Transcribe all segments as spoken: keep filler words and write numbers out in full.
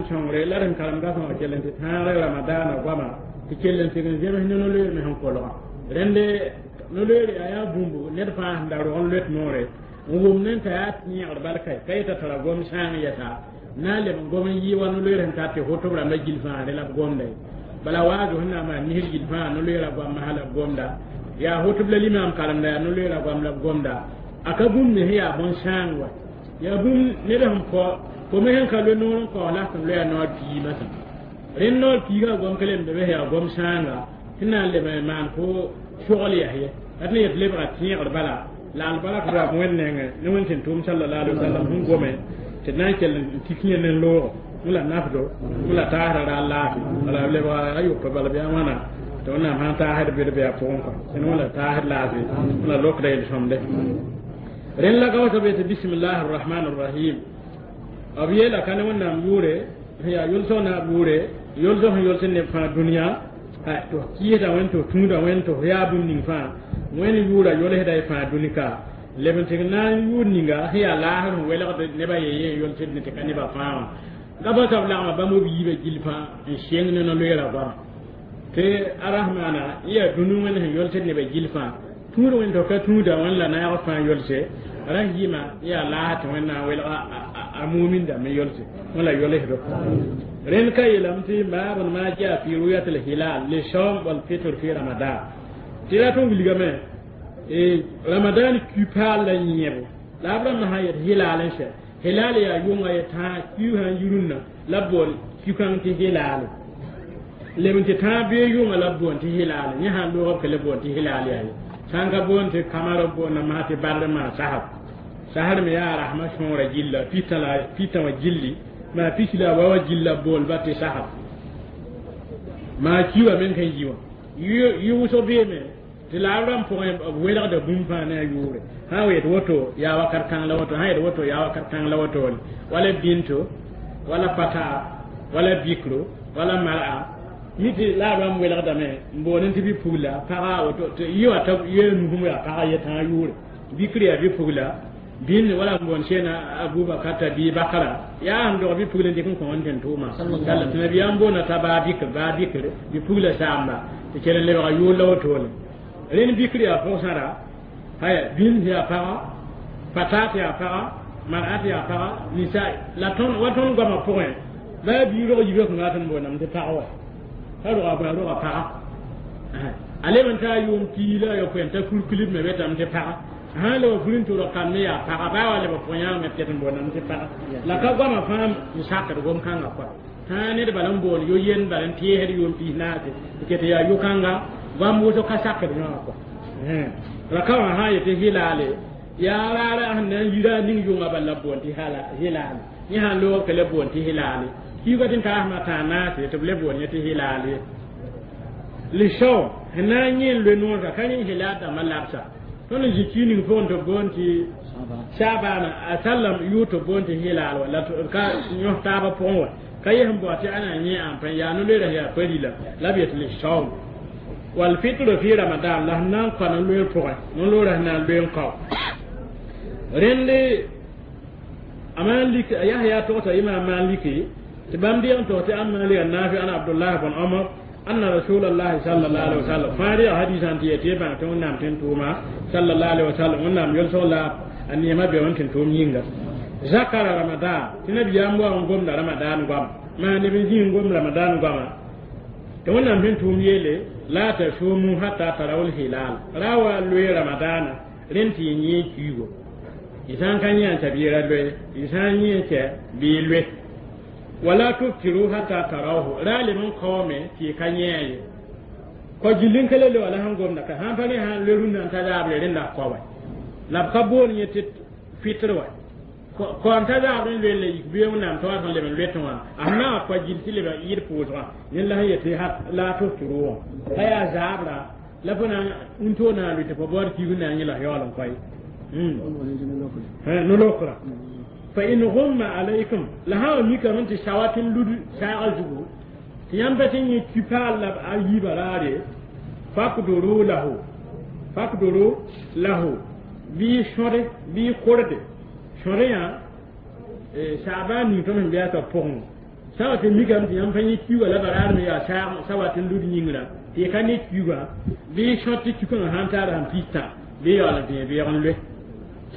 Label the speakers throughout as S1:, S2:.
S1: Sõngre la d sẽn karem dasmã kell n tɩ tãagre ramadaana goama tɩ kell n tɩg n zems ne no-loeer me sẽn kolga rẽnde no-loeer yaa yaa bũmb ned fãa sẽn da rog n loet noore n wʋm ne t'a yaa tẽegr barka ka yeta tara gom sãang yɛsa na n leb n gom n yɩ wa no-loeer sẽn tar tɩ hotob rãmbã gill fãa rẽ la b gomda ye bala waazo sẽn na n maan misr gill fãa no-loeerã goam masã la b gomda yaa hotob la limaam karemda yaa no-loeerã goam la b gomda a ka bũmb me sẽn yaa bõn-sãang wa yaa bũmb ned sẽn kao fo me sẽn ka loe noor n kaoos la sẽn loya noor pii masã rẽnd noor piigã gom ka lemda be yaa gom sãanga tɩ na n leb n maan fo sogl yas ye la tɩ na yet lebga tẽegr bala la albarak raab wẽnd nengẽ ne wẽnd sẽn tʋʋm sallallahu alaihi wasallam sẽn gome tɩ d na n kell n tik yẽ ne loogo la nafdo la taasra ra laafi wala lebga a yopa bala bɩ a wãna tɩ wẽnnaam sãn taasd bɩd bɩ a pʋgẽ kɔ sẽn wẽla taasd laafɩ la lokda yel-sõmde rẽnd la ka wa tɩ bisimillahi arrahman arrahim b yeela ka ne wẽnnaam yʋʋre sẽn yaa yʋlsg naab yʋʋre yʋlsg sẽn yʋls neb fãa dũniyã tɩ f kɩɩsda wẽnd tɩ f tũuda wẽnd tɩ f yaa bũmb ning fãa wẽnd yʋʋra yolsda y fãa dũni ka leb n tɩg na n yʋʋd ninga sẽn yaa laasr sẽn welgd nebã ye ye yolsd ne tɩ ka nebã fãa wã ka pa tab lagma bãmb b yiibã gill fãa n seng ne no-loeerã goama tɩ arahmana n yaa dũni wẽnd sẽn yolsd nebã gill fãa tũud wẽnd tɩ f ka tũuda wẽnd la naag fãa yolse ra yɩma yaa laas tɩ wẽnnaam welga a mumin dãmb n yolse wẽ la yolsdo rẽnd ka yeelame tɩ baabn ma jaa fi ruyat lhilal lisawm walfitr fi ramadan tɩ rat n wilgame ramadan ku-paal la yẽebo la b rãmb sã yet hilal n sɛ hilal yaa yʋnga ye tãa ku sã n yi rũnnã la b bool ku-kãng tɩ hilaale leb n tɩ tãag bee yʋnga la b boon tɩ hilaale yẽ sãn loog b ka le boon tɩ hilaal yaa ye sãn ka boon tɩ kamar b boonda maa tɩ badr maa sasb sasr me yaa rasmã sõora gilla pita la pita wã gilli maa pisi la wa wa gilla boolba tɩ sasb maa ki wã men kan yi wã yɩ wʋsg beeme tɩ la b rãmb pʋgẽ b welgda bũmb fãa ne a yʋʋre sã n yet woto yaa wakat kãng la woto sã yet woto yaa wakat kãng la wotone wala binto wala pataa wala bikro wala mar'a mi tɩ la b rãmb welgdame n boond tɩ bɩ-pugla paga woto tɩ yɩ wa t'a yee nusum yaa paga yetãa yʋʋre bikr yaa bɩ-pugla bĩnd wala n boond sẽna abubakar t'a bii bakra yaa sẽn dog bɩ-pugl n dɩk n kõ wẽnd tẽn tʋʋmã tɩ nabiyaam boonda t'a baa bikr baa bikr bɩ-pugla saamba tɩ kell n lebga yʋʋr la wotone rẽnd bikr yaa pʋg-sãra haya bĩnd yaa paga patat yaa paga mar'at yaa paga nisa la tõnd wa tõnd goamã pʋgẽ baa bii rog yibã kõnga tɩ n boondame tɩ pag wa ka roga bõe roga paga a leb n taa yʋʋm pii la a yopoe n ta kurkulb me betame tɩ paga sãn leb fur n tʋrg kam me yaa paga baa wa leb pʋg-yãag tɩ n boondame tɩ paga la ka goamã fãa n sakd gom-kãngã kɔa tãa ned bala n boond yo-yend bala n teesd yʋʋm piis naase tɩ ket yaa yʋ-kãnga goam wʋsg ka sakd yõwã kɔa la ka wã sã n yetɩ hilaale yaa raara sẽn na n yira a ning yʋnga bala b boond tɩ hilaale yẽ sãn loog ka le boond tɩ hilaale kiuga tɩ n taasmã tãa naase tɩ b le boond yẽ tɩ hilaal ye lisao sẽn na n yẽ n loe noorga ka rẽ hilaal dãmbã labsa tõnd n zĩ ki ning pʋgẽ tɩ b boond tɩ sabaana a sallam yʋʋr tɩ b boond tɩ hilaal wa la ka yõs taabã pʋgẽ wa ka yes n bao tɩ a na n yẽ ãmpa yaa no-loeera yaa pa-rila la b yet lisao walfitr fi ramadan la sẽn na n kõ no-loeer pʋgẽ no-loorã sẽn na n loe n kao rẽnd a Malik Yahya togsa imam Maliki tɩ bãmb deeg n tog tɩ an Malik an Nafi an Abdullah bn Omar anna Rasulullah sallallahu alaihi wasallam fãa reeg hadisã tɩ yetɩ y bãng tɩ Wẽnnaam tẽn tʋʋma sallallahu alaihi wasallam Wẽnnaam yolsg la a neemã be wẽn tẽn tʋʋm yĩnga zakara ramadan tɩ nabiyaam wa n gomda ramadan goama maa neb n zĩ n gom ramadan goama tɩ Wẽnnaam tẽn tʋʋm yeele la tasumu hatta tarawul hilal ra wa loe ramadana rẽnd tɩ y yẽ kiigo y sã n ka yẽ n t'a bɩ ra loe y sã n yẽ tɛ bɩ y loe wala tuftiru hatta tarawhu ra leb n kaoome tɩ y ka yẽ ye kɔ gill n ka le loa la sẽn gomda ka sãn pa rẽ sãn loe rũnnã n ta zaabre rẽnda kao wa la b ka boon yẽ tɩ fitr wa kaoom ta zaabr n loe la yik bee wẽnnaam t'a wa sẽn leb n loetẽ wã a sẽn na wa kɔ gill tɩ leb yɩd pʋʋsgã yẽnd la sẽn yetɩ la tuftiru wã ka yaa zaabra la fo na n toog na n lʋ tɩ fo baood kiig n na n yẽ la yaool n koe no-lokra fa in ghumma alaykum la sã wa mikame tɩ sawa tɩ n lud saaga zugu tɩ yãmb pa tɩ yẽ ki-paal la a yiibã raare fakduru lahu fakduru lahu bɩ sõde bɩ korde sõde yã saabã ning tõnd sẽn bɩa t'a pʋgẽ sã wa tɩ mikame tɩ yãmb pa yẽ kiuga la baraar me yaa saag sa wat n lud yĩngrã tɩ y ka ne kiugã bɩ y sõt tɩ kiu-kãngã sã n taar sãn pis-tã bɩ yaool n vẽe beoog n loe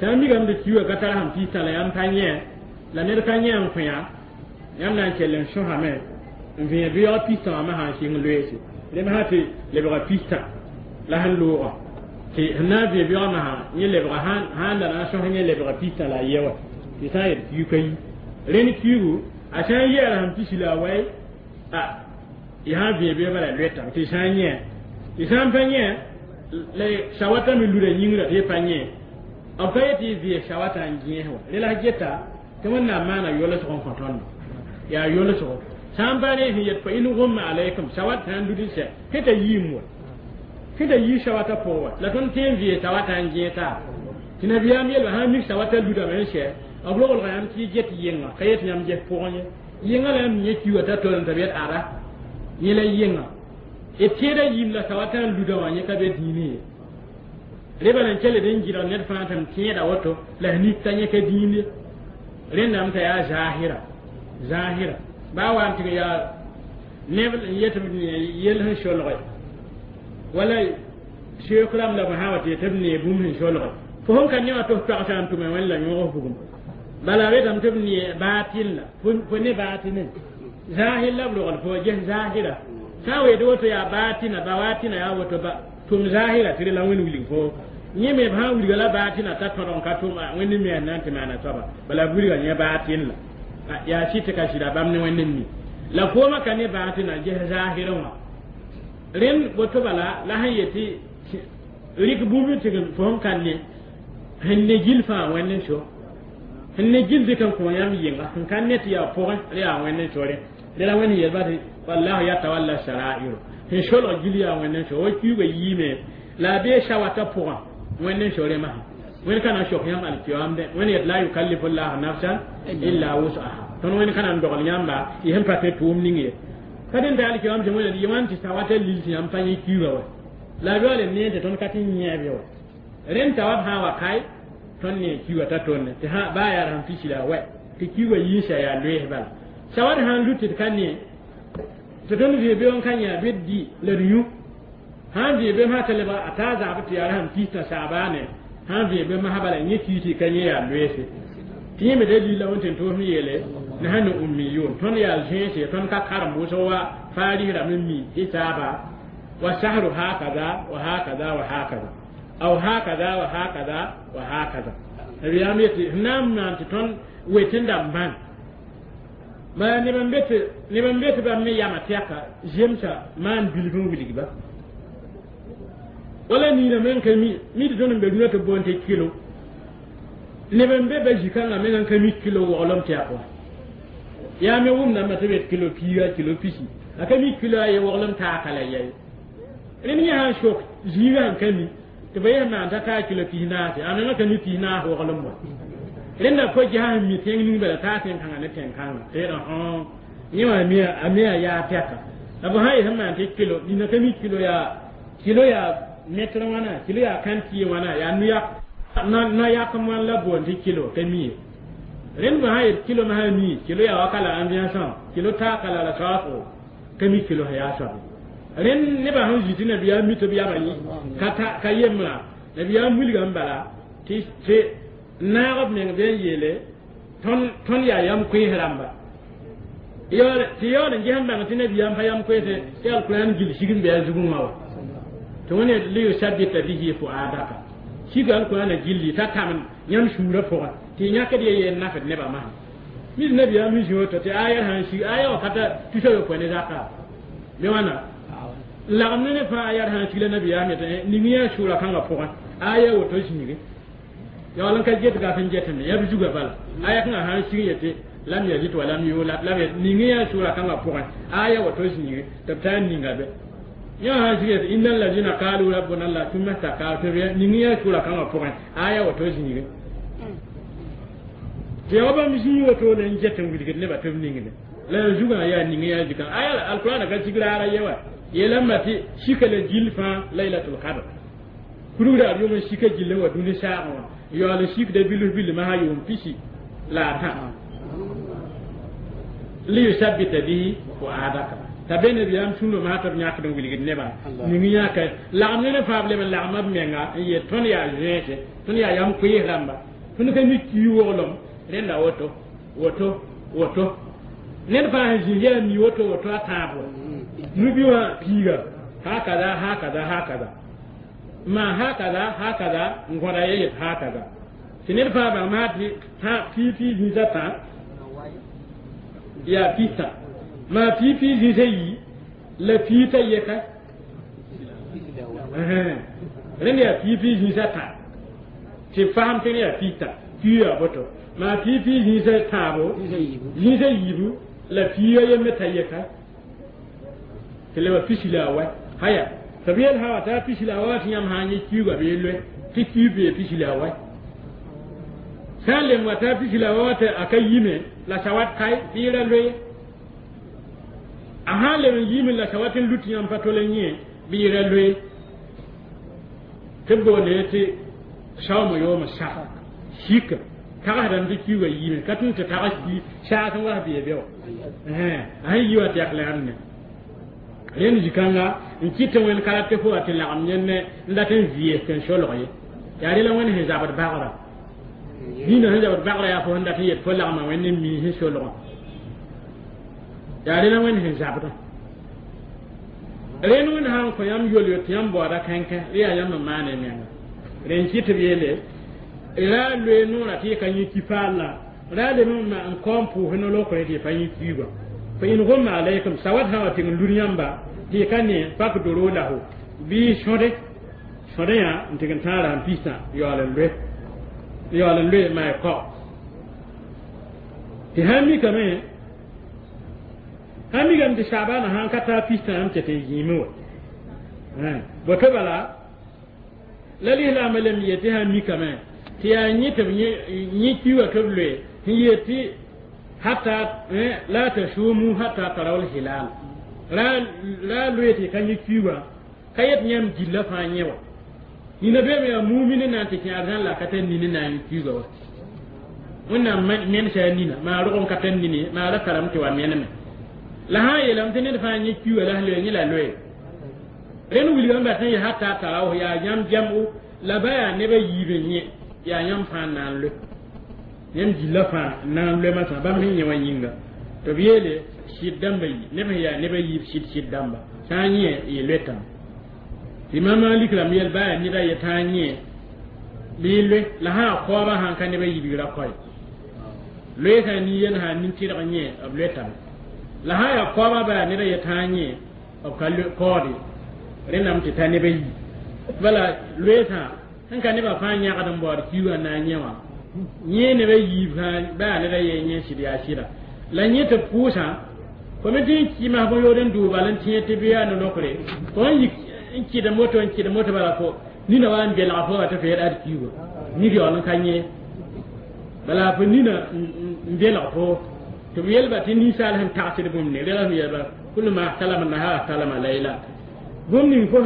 S1: sã n mikame tɩ kiugã ka tar sãn pis-tã la yãmb pa yẽ la ned ka yẽ n kõ yã yãmb na n kell n sõsame n vẽe beoog pis-tã wã me sã n sɩng loeese rẽ sã tɩ lebga pis-tã la sẽn looga tɩ sẽn na n vẽe beoogã masã yẽ lebga sã n la na n sõs yẽ lebga pis-tã la a ye wa tɩ sã n yet kiug ka yi rẽnd kiugu a sã n yɛɛla sẽn pisi la a wai a y sã n vẽe beoog bala loetame tɩ sã n yẽ tɩ sã n pa yẽ la sawata me luda yĩngrã tɩ y pa yẽ b ka yet tɩ y vɩɩs sawata n gẽes wa rẽ la geta tɩ wẽnnaam maana yolsg n kõ tõndo yaa yolsgo sã n pa ne sẽn yet fa in gumma alaykum sawat sã n lud n sɛ sẽn t'a yiim wa sẽn t'a yii sawata pʋgẽ wa la tõnd tõe n vɩɩs sawata n gẽes-taa tɩ nabiyaam yeelba sã n mik sawata ludame n sɛ b roglga yãmb tɩ y get yɩnga ka yet yãmb ges pʋgẽ ye yɩnga la yãmb yẽ kiuga t'a tol n t'a b yet ada yẽ la yɩnga d tẽeda yiim la sawata n luda wã yẽ ka be dĩinẽ ye rẽ bala n kell d n gɩdg ned fãa tɩ m tẽeda woto la s nik t'a yẽ ka dĩin ye rẽndame t'a yaa zahira zahira baa wa n tɩg yaa neb n yet b yell sẽn solge wala seek rãmb la b sã wa tɩ yet b nee bũmb sẽn solge fo sẽn ka ne wã tɩ f pagsa n tʋme wẽnd la yõgs bugum bala retame tɩ b nee baatil la fo ne baatine zahir la b rogl fo ges zahira sã n weed woto yaa baatina bawatina yaa woto ba tʋm zahira tɩ la wẽnd wilg fo yẽ me b sã n wilga la baatina t'a tõdg n ka tʋm wẽnd me na n tɩ maana soaba bala b wilga yẽ baatin la yaa sɩ tɩ ka sɩda bãmb ne wẽnd n mi la foomã ka ne baatina ges zahirẽ wã rẽnd woto bala la sẽn yetɩ rɩk bũmb tɩ fo sẽn ka ne sẽn ne gil fãa wẽnd n so sẽn ne gil dɩk n kõ yãmb yɩnga sẽn ka ne tɩ yaa pʋgẽ rẽ yaa wẽnd n so rẽ rẽ la wẽnd yelba tɩ wallahu yatawalla sarairu sẽn solg gil yaa wẽnd n so wa kiuga yiime la a bee sawata pʋgã wẽnd n so rẽ masã wẽnd ka na n sok yãmb alkiyamdẽ wẽnd yet la yukallifu llahu nafsan illa wus'aha tõnd wẽnd ka na n dogl yãmba y sẽn pa tɩ tʋʋm ning ye ka dẽn t'a alkiyam tɩ wẽnd yẽ wãn tɩ sawata lil tɩ yãmb pa yẽ kiuga wa la b yaool n nee tɩ tõnd ka tɩ yẽeb ye wa rẽnd t'a wa b sã n wa kae tõnd ne kiuga t'a tonne tɩ baa yaa sẽn pisi la a wɛ tɩ kiuga yiisa yaa loees bala sawat sã n lut tɩ d ka ne tɩ tõnd vɩ beoong n ka yã bɩ d dɩ la d yũ sã n vɩ bem sã t'a lebga a taa zagb tɩ yaa sẽn pis-tã saabaane sã n vɩ bem masã bala yẽ kii tɩ ka yẽ yaa loeese tɩ yẽ me dalil la wẽn tɩ n toos n yeele nahnu ummiyun tõnd yaa zẽese tõnd ka karem wʋsg wa faaris rãmb n mi hisaaba wa sahru hakaza wa hakaza wa hakaza aw hakaza wa hakaza wa hakaza nabiyaam yetɩ sẽn na n maan tɩ tõnd wet n dãmb bãn bala neb n be tɩ neb n be tɩ bãmb me yama tɛka zemsa maan bilf n wilgba wala niinã me n ka mi mi tɩ tõnd n be rũnã tɩ boond tɩ kilo neb n be ba zĩ-kãngã meng n ka mi kilo waoolem tɛk wã yaa me wʋmdãmbã tɩ bet kilo piiga kilo pisi a ka mi kilo a ye waglem taaka la yɛi rẽnd yẽ sãn sok zĩigã sẽn ka mi tɩ ba yẽ maan t'a taa kilo pis naase a menga ka mi pis naas waglem wa rẽnda fo ges sẽn mi tẽng ning bala taa tẽn-kãngã ne tẽn-kãngã tɩ yetã yẽ wã a me a yaa tɛka la fo sã yes n maan tɩ kilo nina ka mi kilo yaa kilo yaa mɛtr wãna kilo yaa kãn-tɩ wãna yaa no-yak wãn la boond tɩ kilo ka mi ye rẽnd bõ sã yet kilo masã mi kilo yaa wa kala ambiance kilo taaka la la soaasgo ka mi kilo sã yaa soabe rẽnd nebã sẽn zĩ tɩ nabiyaam mi tɩ b yama ka ka yembrã nabiyaam wilgame bala tɩ tɩ naag b meng bɩ n yeele tõnd yaa yam koees rãmba tɩ yaool n ges n bãng tɩ nabiyaam pa yam koeese tɩ alkurãn gil sig n bɩ a zugẽ wã wa tɩ wẽnd liyusabita bihi fuadaka sig alkurãna gilli t'a tãmd yãmb sũurã pʋgẽ tɩ yãkd ye yeel nafd nebã masã mis nabiyaam sẽn zĩ woto tɩ aya sãn sig aya wa ka ta tusa yopoe ne zaka bɩ wãna n lagem ne ne fãa aya sãn sig la nabiyaam yetɩ ning yã sʋʋra kãngã pʋgẽ aya woto zĩige yaool n ka get gaf n getame yaa b zuga bala aya kãngã sãn sig yetɩ lam yalid wa lam yulad lam ning yã sʋʋra kãngã pʋgẽ aya woto zĩige tɩ b taa n ninga be yã sãn sig yetɩ inna alladina qalu rabbuna allah thumma staqamu tɩ ning yã sʋʋra kãngã pʋgẽ aya woto zĩige tɩ yaa wa bãmb zĩig woto la n get n wilgd nebã tɩ b ningde la zugã yaa ning yaa zikã aya alkurãna ka sig raara ye wa yeelame tɩ sika la gill fãa laylatul kadr kurug raar yʋm n sika gill n wa dũni saagẽ wã yaool n sikda bilf bill masã yʋʋm pisi la a tã Liyusabbita bihi fuadaka t'a be nabiyaam sũndo maa tɩ b yãkd n wilgd nebã ning yãka lagem ne ne fãa b leb n lagma b menga n yet tõnd yaa zẽese tõnd yaa yam koees rãmba tõnd ka mi ki woglem rẽnda woto woto woto ned fãa sẽn zĩig yaa mi woto woto a tãab wa nubi wã piiga hakaza hakaza hakaza ma hakaza hakaza n gõda ye yet hakaza tɩ ned fãa bãng maa tɩ pii pii zĩisã tã yaa pistã maa pii pii zĩisã yi la pii t'a yeka rẽnd yaa pii pii zĩisã tã tɩ b fasem tɩ yaa pistã pii yaa boto maa pii pii zĩisã tãabo zĩisã yiibu la piiga yembe t'a yeka tɩ leba pisi la a wɛ haya tɩ b yel sã wa t'a pisi la a wɛ tɩ yãmb sã n yẽ kiuugã bɩ loe tɩ kiu bee pisi la a wɛ sã n lem wa t'a pisi la a wɛ tɩ a ka yime la sawat kae bɩ ra loe a sã n leb n yiime la sawat n lut yãmb pa tol n yẽ bɩ ra loe tɩ b boonde tɩ saooma yooma sak sika tagsdame tɩ kiuugã yiime ka tʋm tɩ tags saas n was bee be wa a sẽn yi wa tɩ yak la yãmb ne rẽnd zĩ-kãnga n kɩt tɩ wẽnd ka rat tɩ fo wa tɩ lagem yẽnd n dat n vɩɩs tɩ n solg ye yaa rela wẽnd sẽn zabd bagrã dĩinã sẽn zabd bagrã yaa fo sẽn dat n yet fo lagma wẽnd n mii sẽn solgã yaa rela wẽnd sẽn zabdã rẽnd wẽnd sã n kõ yãmb yol-yo tɩ yãmb baooda kãnkã rẽ yaa yãmb n maane menga rẽn kɩt tɩ b yeele ra loe noorã tɩ y ka yẽ ki-paal la ra lem n kaoom pʋʋs no-lokre tɩ y pa yẽ kiugã fa in gumma alaykum sawat sã wa tɩg n lud yãmba tɩ y ka ne fakduru lahu bɩ sõde sõde yã n tɩg n tãag n pistã yaool n loe yaool n loe maa kao tɩ sã n mikame sã n mikame tɩ saabana sã n ka taa pistã yãmb tɩ tɩ zĩime wa boto bala la lislaambã lem yet tɩ sã n mikame tɩ yaa yẽ tɩ b yẽ kiuugã tɩ b loe sẽn yet tɩ hatta la tasumu hatta taraw hilal ra ra loe tɩ ka yẽ kiuugã ka yet yãmb gilla fãa yẽ wa nina beeme yaa mumini na n tɩ kẽ arzãn la ka tar nini na n yẽ kiuugã wa wẽnnaam mensa a nina maa rog n ka tar nini maa ra tarame tɩ wa meneme la sã n yeelame tɩ ned fãa yẽ kiuugã la sẽn loe yẽ la loe rẽnd wilgame bat n yẽ hatta taraw yaa yãmb jãmbo la ba yaa neb a yiib n yẽ yaa yãmb fãa n na n loe yãmb gilla fãa n na n loe masã bãmb sẽn yẽ wã yĩnga tɩ b yeele sɩd dãmba yi neb sẽn yaa neb a yiib sɩd sɩd dãmba sã n yẽ y loetame tɩ mam Malik rãmb yɛl baa yaa ned a ye tã n yẽ bɩ y loe la sã a kaoobã sãn ka neb a yiibgra koe loe sã nin-yen sã nin-tɩrg yẽ b loetame la sã yaa kaoobã baa yaa ned a ye tã n yẽ b ka kaoode rẽndame tɩ ta neb a yi bala loeesã sẽn ka nebã fãa yãgd n baood kiugã n na n yẽ wã yẽ neb a yiib sã baa yaa ned a ye yẽ sɩd yaa sɩda la yẽ tɩ b pʋʋsã fo me tɩ n kɩ masb yood n dʋʋ bal n tẽ tɩ bɩ yaa no-lokre fo n yik n kɩd moto n kɩd moto bala fo nina wa n belga fo wa tɩ fo yed ad kiuga nig yaool n ka yẽ bala fo nina n belg fo tɩ b yelba tɩ ninsaal sẽn tagsd bũmb ne rela sẽn yelba kul ma salama nahar salama layla bũmb ning fo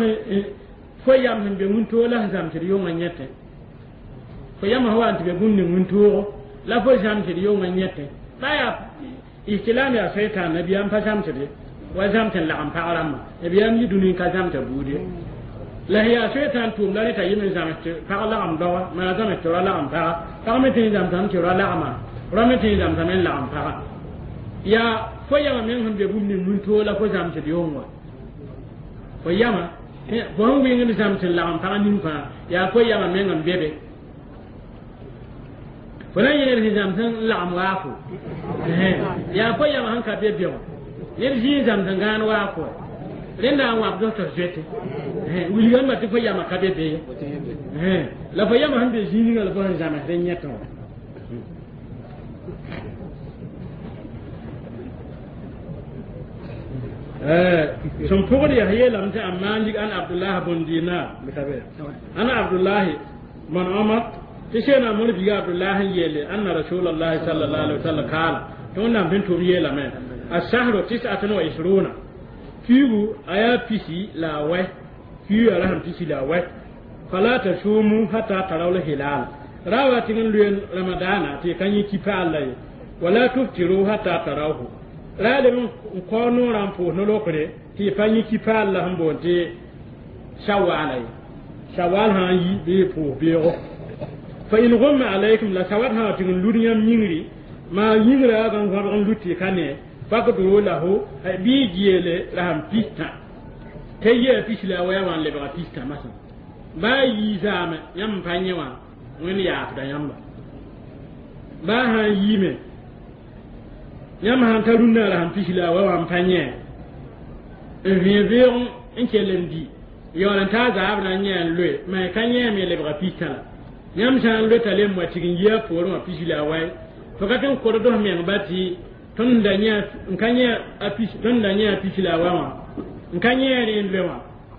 S1: fo yam sẽn be wĩntoog la sẽn zãmsd yʋngã yẽtẽ fo yam sã wa n tɩ be bũmb ning wĩntoogo la fo zãmsd yʋngã yẽtẽ ba yaa ihtilam yaa soitan nabiyaam pa zãmsde wa zãms n lagem pag rãmbã nabiyaam yi dũni n ka zãmsa buud ye la sẽn yaa soitan tʋʋm la rẽ t'a yem n zãms tɩ pag lagem daoa maa zãms tɩ ra lagem paga pag me tɩ n zãmsame tɩ ra lagema ra me tɩ n zãmsame n lagem paga yaa fo yama meng sẽn be bũmb ning wĩntoog la fo zãmsd yʋng wa fo yama fo sẽn wɩngd zãms n lagem pag ning fãa yaa fo yama meng n be be fo na n yẽ ned sẽn zãms n lagem waafo yaa fo yama sẽn ka be be wã ned zĩig n zãms n gãan waafo wa rẽnda n wãbd tɩ zoete wilgame tɩ fo yama ka be be ye la fo yama sẽn be zĩig ninga la fo sẽn zãmsd n yẽtẽ wã sẽn pʋgd yaa yeelame tɩ a Malik an Abdullah bn Dinar an Abdullah bn Omar tɩ seena mor biga Abdullah n yeele anna Rasulallah sallallahu alaihi wasallam kaala tɩ wẽnnaam sẽn tʋm yeelame asahru tis'atun wa ishruna kiugu a yaa pisi la a wɛ kiuga ra sẽn pisi la a wɛ fala tasumu hatta taraw lhilal ra wa tɩg n loe ramadana tɩ y ka yẽ ki-paal la ye wala tuftiru hatta tarawhu ra leb n kao noorã n pʋʋs no-lokre tɩ y pa yẽ kipaal la sẽn boond tɩ shawaala ye shawal sã n yi bɩ y pʋʋs beoogo fa in gumma alaykum la sawat sã tɩg n lud yãmb yĩngri maa yĩngrã n gõbg n lut tɩ ka ne fakduru lahu bɩ y geele rasem pistã t'a yia pis la a waya wã n lebga pistã masã baa yii zaame yãmb n pa yẽ wã wẽnd yaafda yãmba baa sã n yiime yãmb sãn ta rũnnã rasem pis la a wa wã n pa yẽ n vẽe beoog n kell n di yaool n taa zaab na n yẽ n loe ma ka yẽeme lebga pistã la yãmb sã n loeta lem wa tɩg n yi a poorẽ wã pis la a wae fo ka tɩ n kord f meng ba tɩ tõnd da yẽ n ka yẽ a pis tõnd da yẽ a pis la a wa wã n ka yẽ rẽ n loe wã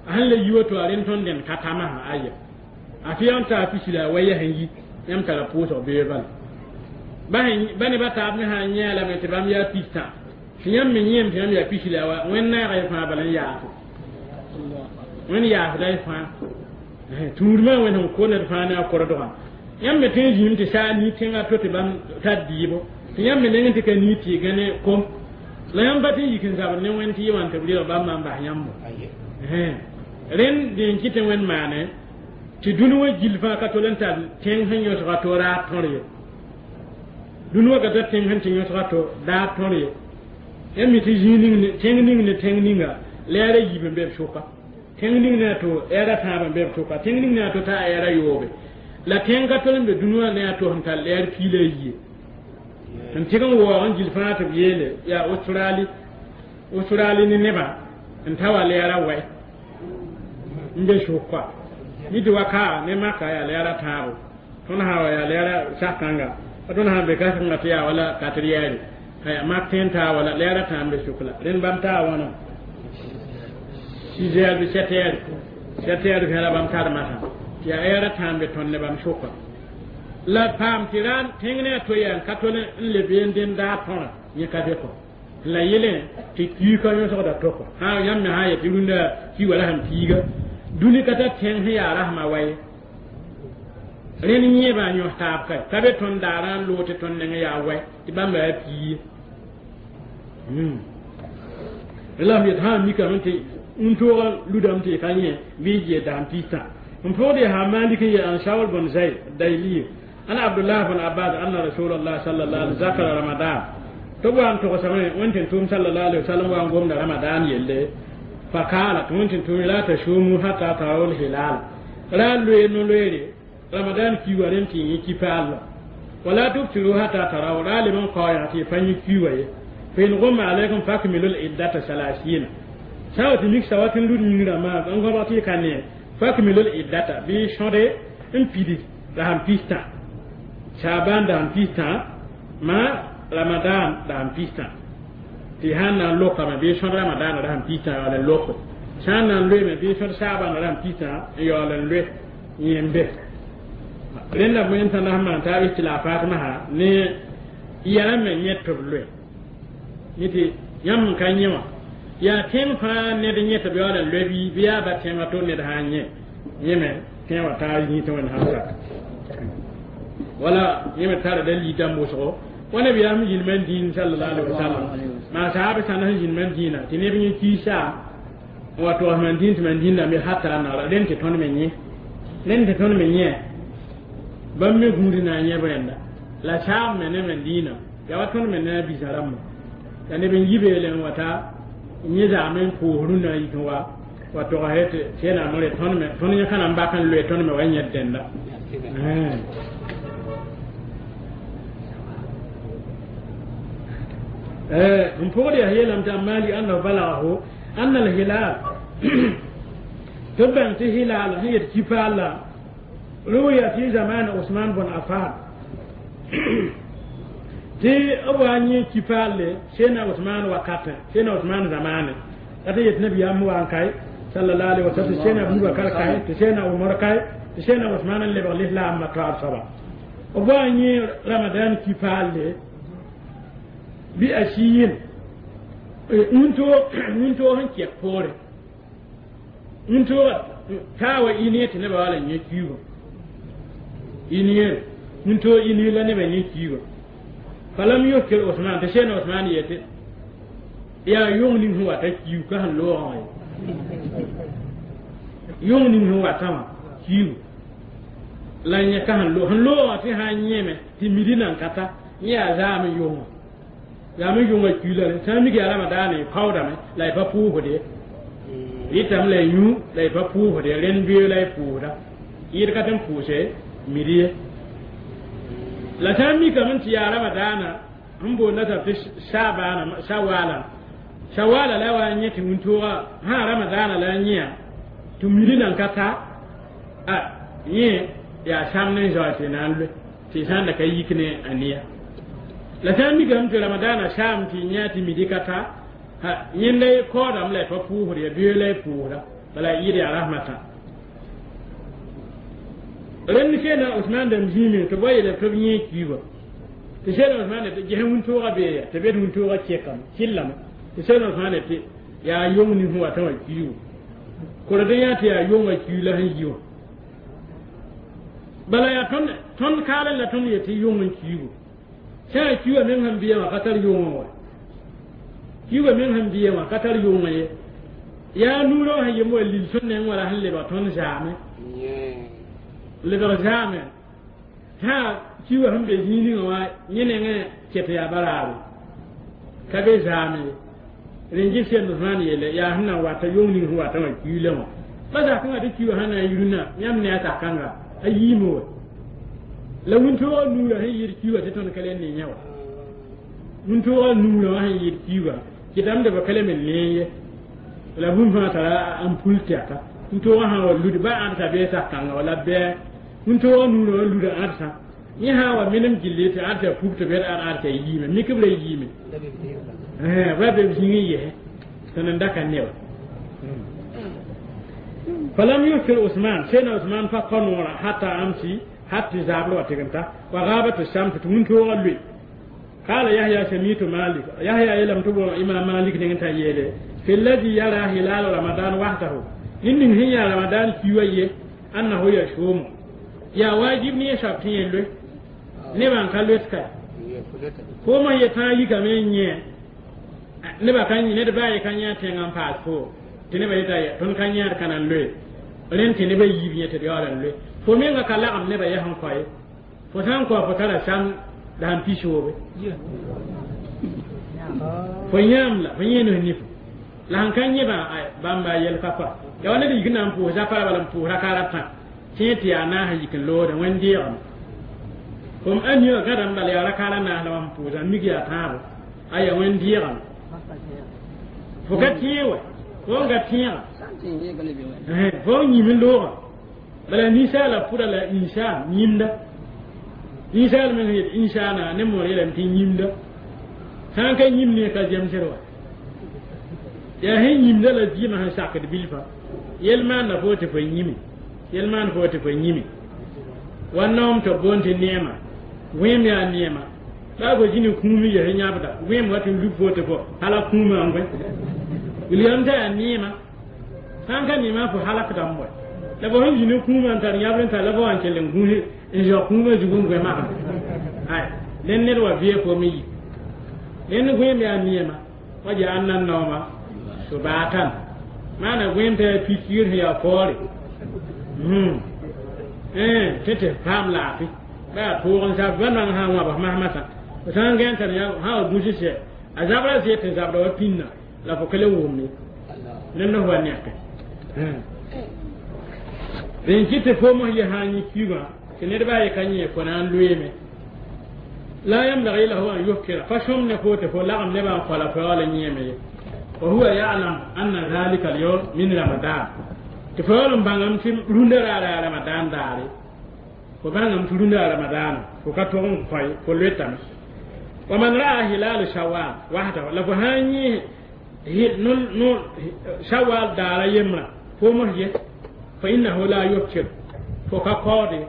S1: a sẽn le yi woto a rẽnd tõnd dẽnd ka tamasã aya a fɩ n taa pis la a wa yɛs n yi yãmb tara pʋʋsg bee bala ba ne ba taab me sã n yẽ lame tɩ bãmb yaa pistã tɩ yãmb me yẽem tɩ yãmb yaa pis la a wa wẽnd naaga y fãa bala n yaafo wẽnd yaafda y fãa tũudmã wẽnd sẽn ko ned fãa ne a kordgã yãmb me tõe n zĩim tɩ saa nii tẽngã to tɩ bãmb tar dɩɩbo tɩ yãmb me neng tɩ ka nii tɩ y gãne kom la yãmb pa tɩ n yik n zabd ne wẽnd tɩ yɩ wã tɩ b rɩg bãmb n bas yãmbo rẽnd dẽn kɩ tɩ wẽnd maane tɩ dũni wã gill fãa ka tol n tar tẽng sẽn yõsga to raad tõr ye dũni wã ka tar tẽng sẽn tɩ yõsga to daad tõr ye yãmb mi tɩ zĩig ning tẽng ning ne tẽng ninga lɛɛra yiib n be b sʋka tẽng ning ne a to ɛɛra tãab n be b sʋka tẽng ning ne a to t'a ɛɛra yoobe la tẽng ka tol n be dũni wã ne a to sẽn tar lɛɛr pii la a yie n tɩg n waoog n gill fãa tɩ b yeele yaa australi australi ne nebã n ta wa lɛɛra wɛ n be sʋka mi tɩ wa kaa ne maka yaa lɛɛra tãabo tõnd sã wa yaa lɛɛra sak-kãnga tõnd sã n be ka-kãngã tɩ yaa wala katriyɛɛre mak tẽn taa wala lɛɛra tã n be sʋk la rẽnd bãmb taa wãna six heures bɩ sept heures sept heures vẽla bãmb tar masã tɩ yaa ɛɛra tã n be tõnd ne bãmb sʋka la paam tɩ ra tẽng ne a to yaa n ka tol n le been dẽnd daar tõrã yẽ ka be kɔ la yelẽ tɩ kiika yõsgda to kɔ sã yãmb me sã n yet tɩ rũndã ki wala sẽn piiga dũni ka tar tẽng sẽn yaa rasmã wa ye rẽnd yẽebã n yõs taab ka ka be tõnd daarã n loog tɩ tõnd neng yaa wɛ tɩ bãmba yaa pii ye la m yet sã n mikame tɩ n toogã ludame tɩ y ka yẽ bɩ y gee dasem pistã n pʋgd yaa malik n ye an shaul bn zayd dayli ana abdullah bn abbas anna rasulullah sallallahu alaihi zakara ramadan tɩ b wa n togsame wẽnd tɩ tʋʋm sallallahu alaihi wasallam wa n gomda ramadan yelle fakala tɩ wẽnd tɩ tʋʋm la tasumu hatta tarawul hilal ra loe no-loeere ramadan kiiwa rẽnd tɩ yẽ kipaalla wala tubtiru hatta taraw ra leb n kaoyã tɩ y pa yẽ kiiwa ye fa in gumma alaykum fakmilu iddata salasina sã n wa tɩ mik sawat n lud yĩngrã maa n gõbg tɩ y ka ne fakmilu iddata bɩ sõde n pidi rasem pistã shaban dasem pistã ma ramadan dasem pistã tɩ sãn na n lokame bɩ sõd ramadan rasem pistã yaool n loko sã n na n loeeme bɩ sõd saabã rasem pistã n yaool n loe yẽmbe rẽnda wẽnd tãnda sẽn maan taab ikhtilafat masã ne yɛla me yẽ tɩ b loe yẽ tɩ yãmb n ka yẽ wã yaa tẽng fãa ned yẽ tɩ b yaool n loe bɩ bɩ yaa ba tẽngã to ned sã n yẽ yẽ me tẽ wã taa yĩ tɩ wẽnd sãn sak wala yẽ me tara dalil dãmb wʋsgo wa nabiyaam sẽn zĩnd man dĩin sallallahu alaihi wasallam maa saaba sãnd sẽn zĩnd man dĩinã tɩ neb yẽ kiisa n wa togs man dĩin tɩ man dĩn me hata naara rẽnd tɩ tõnd me yẽ rẽnd tɩ tõnd me yẽ bãmb me gũud na n yẽb rẽnda la saab me ne man dĩinã yaa wa tõnd me ne a bisa rãmba la neb n yi beele n wa ta yẽ zaame n pʋʋs rũnnã yik n wa wa togsɛ tɩ sẽnaam re tõnd me tõnd yẽ ka na n bak n loe tõnd me wa yẽd dẽnda n pʋgd yaa yeelame tɩ a maali annahu balagahu anna alhilal tɩ b bãng tɩ hilal sẽn yet kipaalla ruya fi zaman usman bn affan tɩ b wa n yẽ kipaalle sena usman wakatẽ sena usman zamane la tɩ yet nabiyaam wa n kae sallallahu alaihi wasallam tɩ sena abubakar kae tɩ sena umar kae tɩ sena usman n lebg lislaamã toaab soaba b wa n yẽ ramadan kipaalle bi asiyin wũntoog sẽn kɛk poore wũntoogã taa wa ineer tɩ nebã wala n yẽ kiigã ineer wũntoog ineer la nebã yẽ kiigã falam yuftir usman tɩ sẽn usman yetɩ Yaa yong ning sẽn wata kiu ka sẽn loogã wã ye yong ning sẽn watã wã kiu la yẽ ka sẽn loog sẽn loogã tɩ sã n yẽme tɩ midi nan ka ta yẽ yaa zaam n yongã zaam n yongã kiu la rẽ sã n mik yaa ramadaana y kaoodame la y pa pʋʋsd ye rɩtame la y yũ la y pa pʋʋsd ye rẽnd beoog la y pʋʋsda yɩɩd ka tɩ n pʋʋse midi ye la sã n mikame tɩ yaa ramadaana n boonda tab tɩ sabaana sawala sawala la wa n yẽ tɩ wĩntooga sã ramadaana la n yẽa tɩ midi nan ka ta a yẽ yaa sãmd n zaoe tɩ na n loe tɩ sã n da ka yik ne a neya la sã n mikame tɩ ramadaana saam tɩ yã tɩ midi ka ta yẽnda kaoodame la y pa pʋʋsd ya beoog la y pʋʋsda bala yɩɩd yaa rasmata rẽnd seena Usman dãmb zĩime tɩ b wa yeele tɩ b yẽ kiiba tɩ seena Usman tɩ ges wĩntooga bee ya tɩ bed wĩntooga kekame kɩllame tɩ seena Usman tɩ yaa yong ning sẽn watã wã kiibu kord yã tɩ yaa yongã kiu la sẽn yi wã bala yaa tõnd tõnd kaalẽ la tõnd yetɩ yong n kiibu sã n kiuga meng sẽn bɩa wã ka tar yongã wa kiuga meng sẽn bɩa wã ka tar yongã ye yaa nuurã sẽn yem wa lil tõnd neng wala sẽn lebg tõnd zaame lebg zaame sã kiuga sẽn be zĩig ninga wã yẽ nengẽ ket yaa baraare ka be zaame ye rẽn gɩs sẽnd Usmaan yeele yaa sẽn na n wata yong ning sẽn watã wã kiilã wã pa zakãngã tɩ kiuga sẽn na n yirna yãmb ne a zakãnga a yiime wa la wĩntoogã nuurã sẽn yɩɩd kiuga tɩ tõnd ka le ne yã wa wĩntoogã nuurã wã sẽn yɩɩd kiuga kɩtame tɩ b ka le me nee ye la bũmb fãa tara n pul tɛka wĩntoogã sã wa lud ba ãdsa bee sak-kãnga wala bɛɛ wĩntoogã nuurã wa luda ãdsa yẽ sã wa menem gilli tɩ ãdsa pub tɩ bed ad ãdsa yiime mik b ra yiime ba be b zĩig n yɛsɛ tɩ n da ka ne wa فلم يفطر عثمان سيدنا عثمان فقنورا حتى أمسي حتى زابر وتغنتا وغابت الشمس تمنتو لوي قال يحيى سميت مالك يحيى يلم تبو إمام مالك نغنتا يلي في الذي يرى هلال رمضان وحده إن هي رمضان كيوية أنه يشوم يا واجب ني شابتين لوي نبان كالوتكا كوما يتا يكامي ني neba ka ned baa ye ka yã tẽngã n paas fo tɩ nebã yeta tõnd ka yãad ka na n loe rẽnd tɩ nebã yiib yẽ tɩ d yaool n loe fo menga ka lagem nebã yɛs n koe fo sã n kao fo tara sãm la sẽn pisoobe fo yãam la fo yẽ nes nifo la sẽn ka yẽbã bãmba yɛl ka koa ya wa ned yik na n pʋʋs zapara bala n pʋʋs raka ratã tẽ tɩ yaa naas n yik n loodã wẽn-deegame fom a niwã gãdame bala yaa raka ra naas la wã sẽn pʋʋsã mik yaa tãabo aya wẽn-deegame fo ka tẽeg wa fo n ka tẽega fo n yĩm n loogã bala ninsaala pʋda la insa yĩmda ninsaal meng sẽn yet insaana ne moor yeelame tɩ yĩmda sã n ka yĩm ne ka zemsd wa yaa sẽn yĩmda la vɩɩmã sẽn sakd bilfã yel maanda fo tɩ fo yĩme yel maan fo tɩ fo yĩme wa naoom tɩ b boond tɩ neema wẽem yaa neema baa fo zĩni kũum n ges yãbda wẽem wa tɩ n lub fo tɩ fo hala kũumã n goe wilgame t'a yaa neema sã n ka neema fo halakdame wa la fo sẽn zĩni kũumã n tar yãbr n tar la fo wa n kell n gũus n zao kũumã zugu n goe magd ay rẽnd ned wa vɩɛ fo me yi rẽnd gõeem yaa neema wa ja'alna naoma subatan maana gõeem t'a yaa pikiir sẽn yaa faoore tɩ tɩ paam laafɩ ba yaa tʋʋg n sab ba nang sã n wãbs masmasã fo sã n gãn tar sã wa gũs sɛ a zabra zɩ tɩ zabda wa pĩnna la fo ka le wʋmne rẽnd f wa neke rẽn kɩ tɩ fo mos ye sã n yẽ kiugã tɩ ned baa ye ka yẽ fo na n loeeme la ينبغي له أن يفكر فشم نفوت فلغم نبا قال فوال نيمه وهو يعلم أن ذلك اليوم من رمضان تفعل بانغام تي روندر على رمضان داري فبانغام تي روندر رمضان فكتون فاي فلوتام ومن رأى هلال شوال وحده لفهاني نل نل شوال دار يمرا فمه فإنه لا يفكر فكقاضي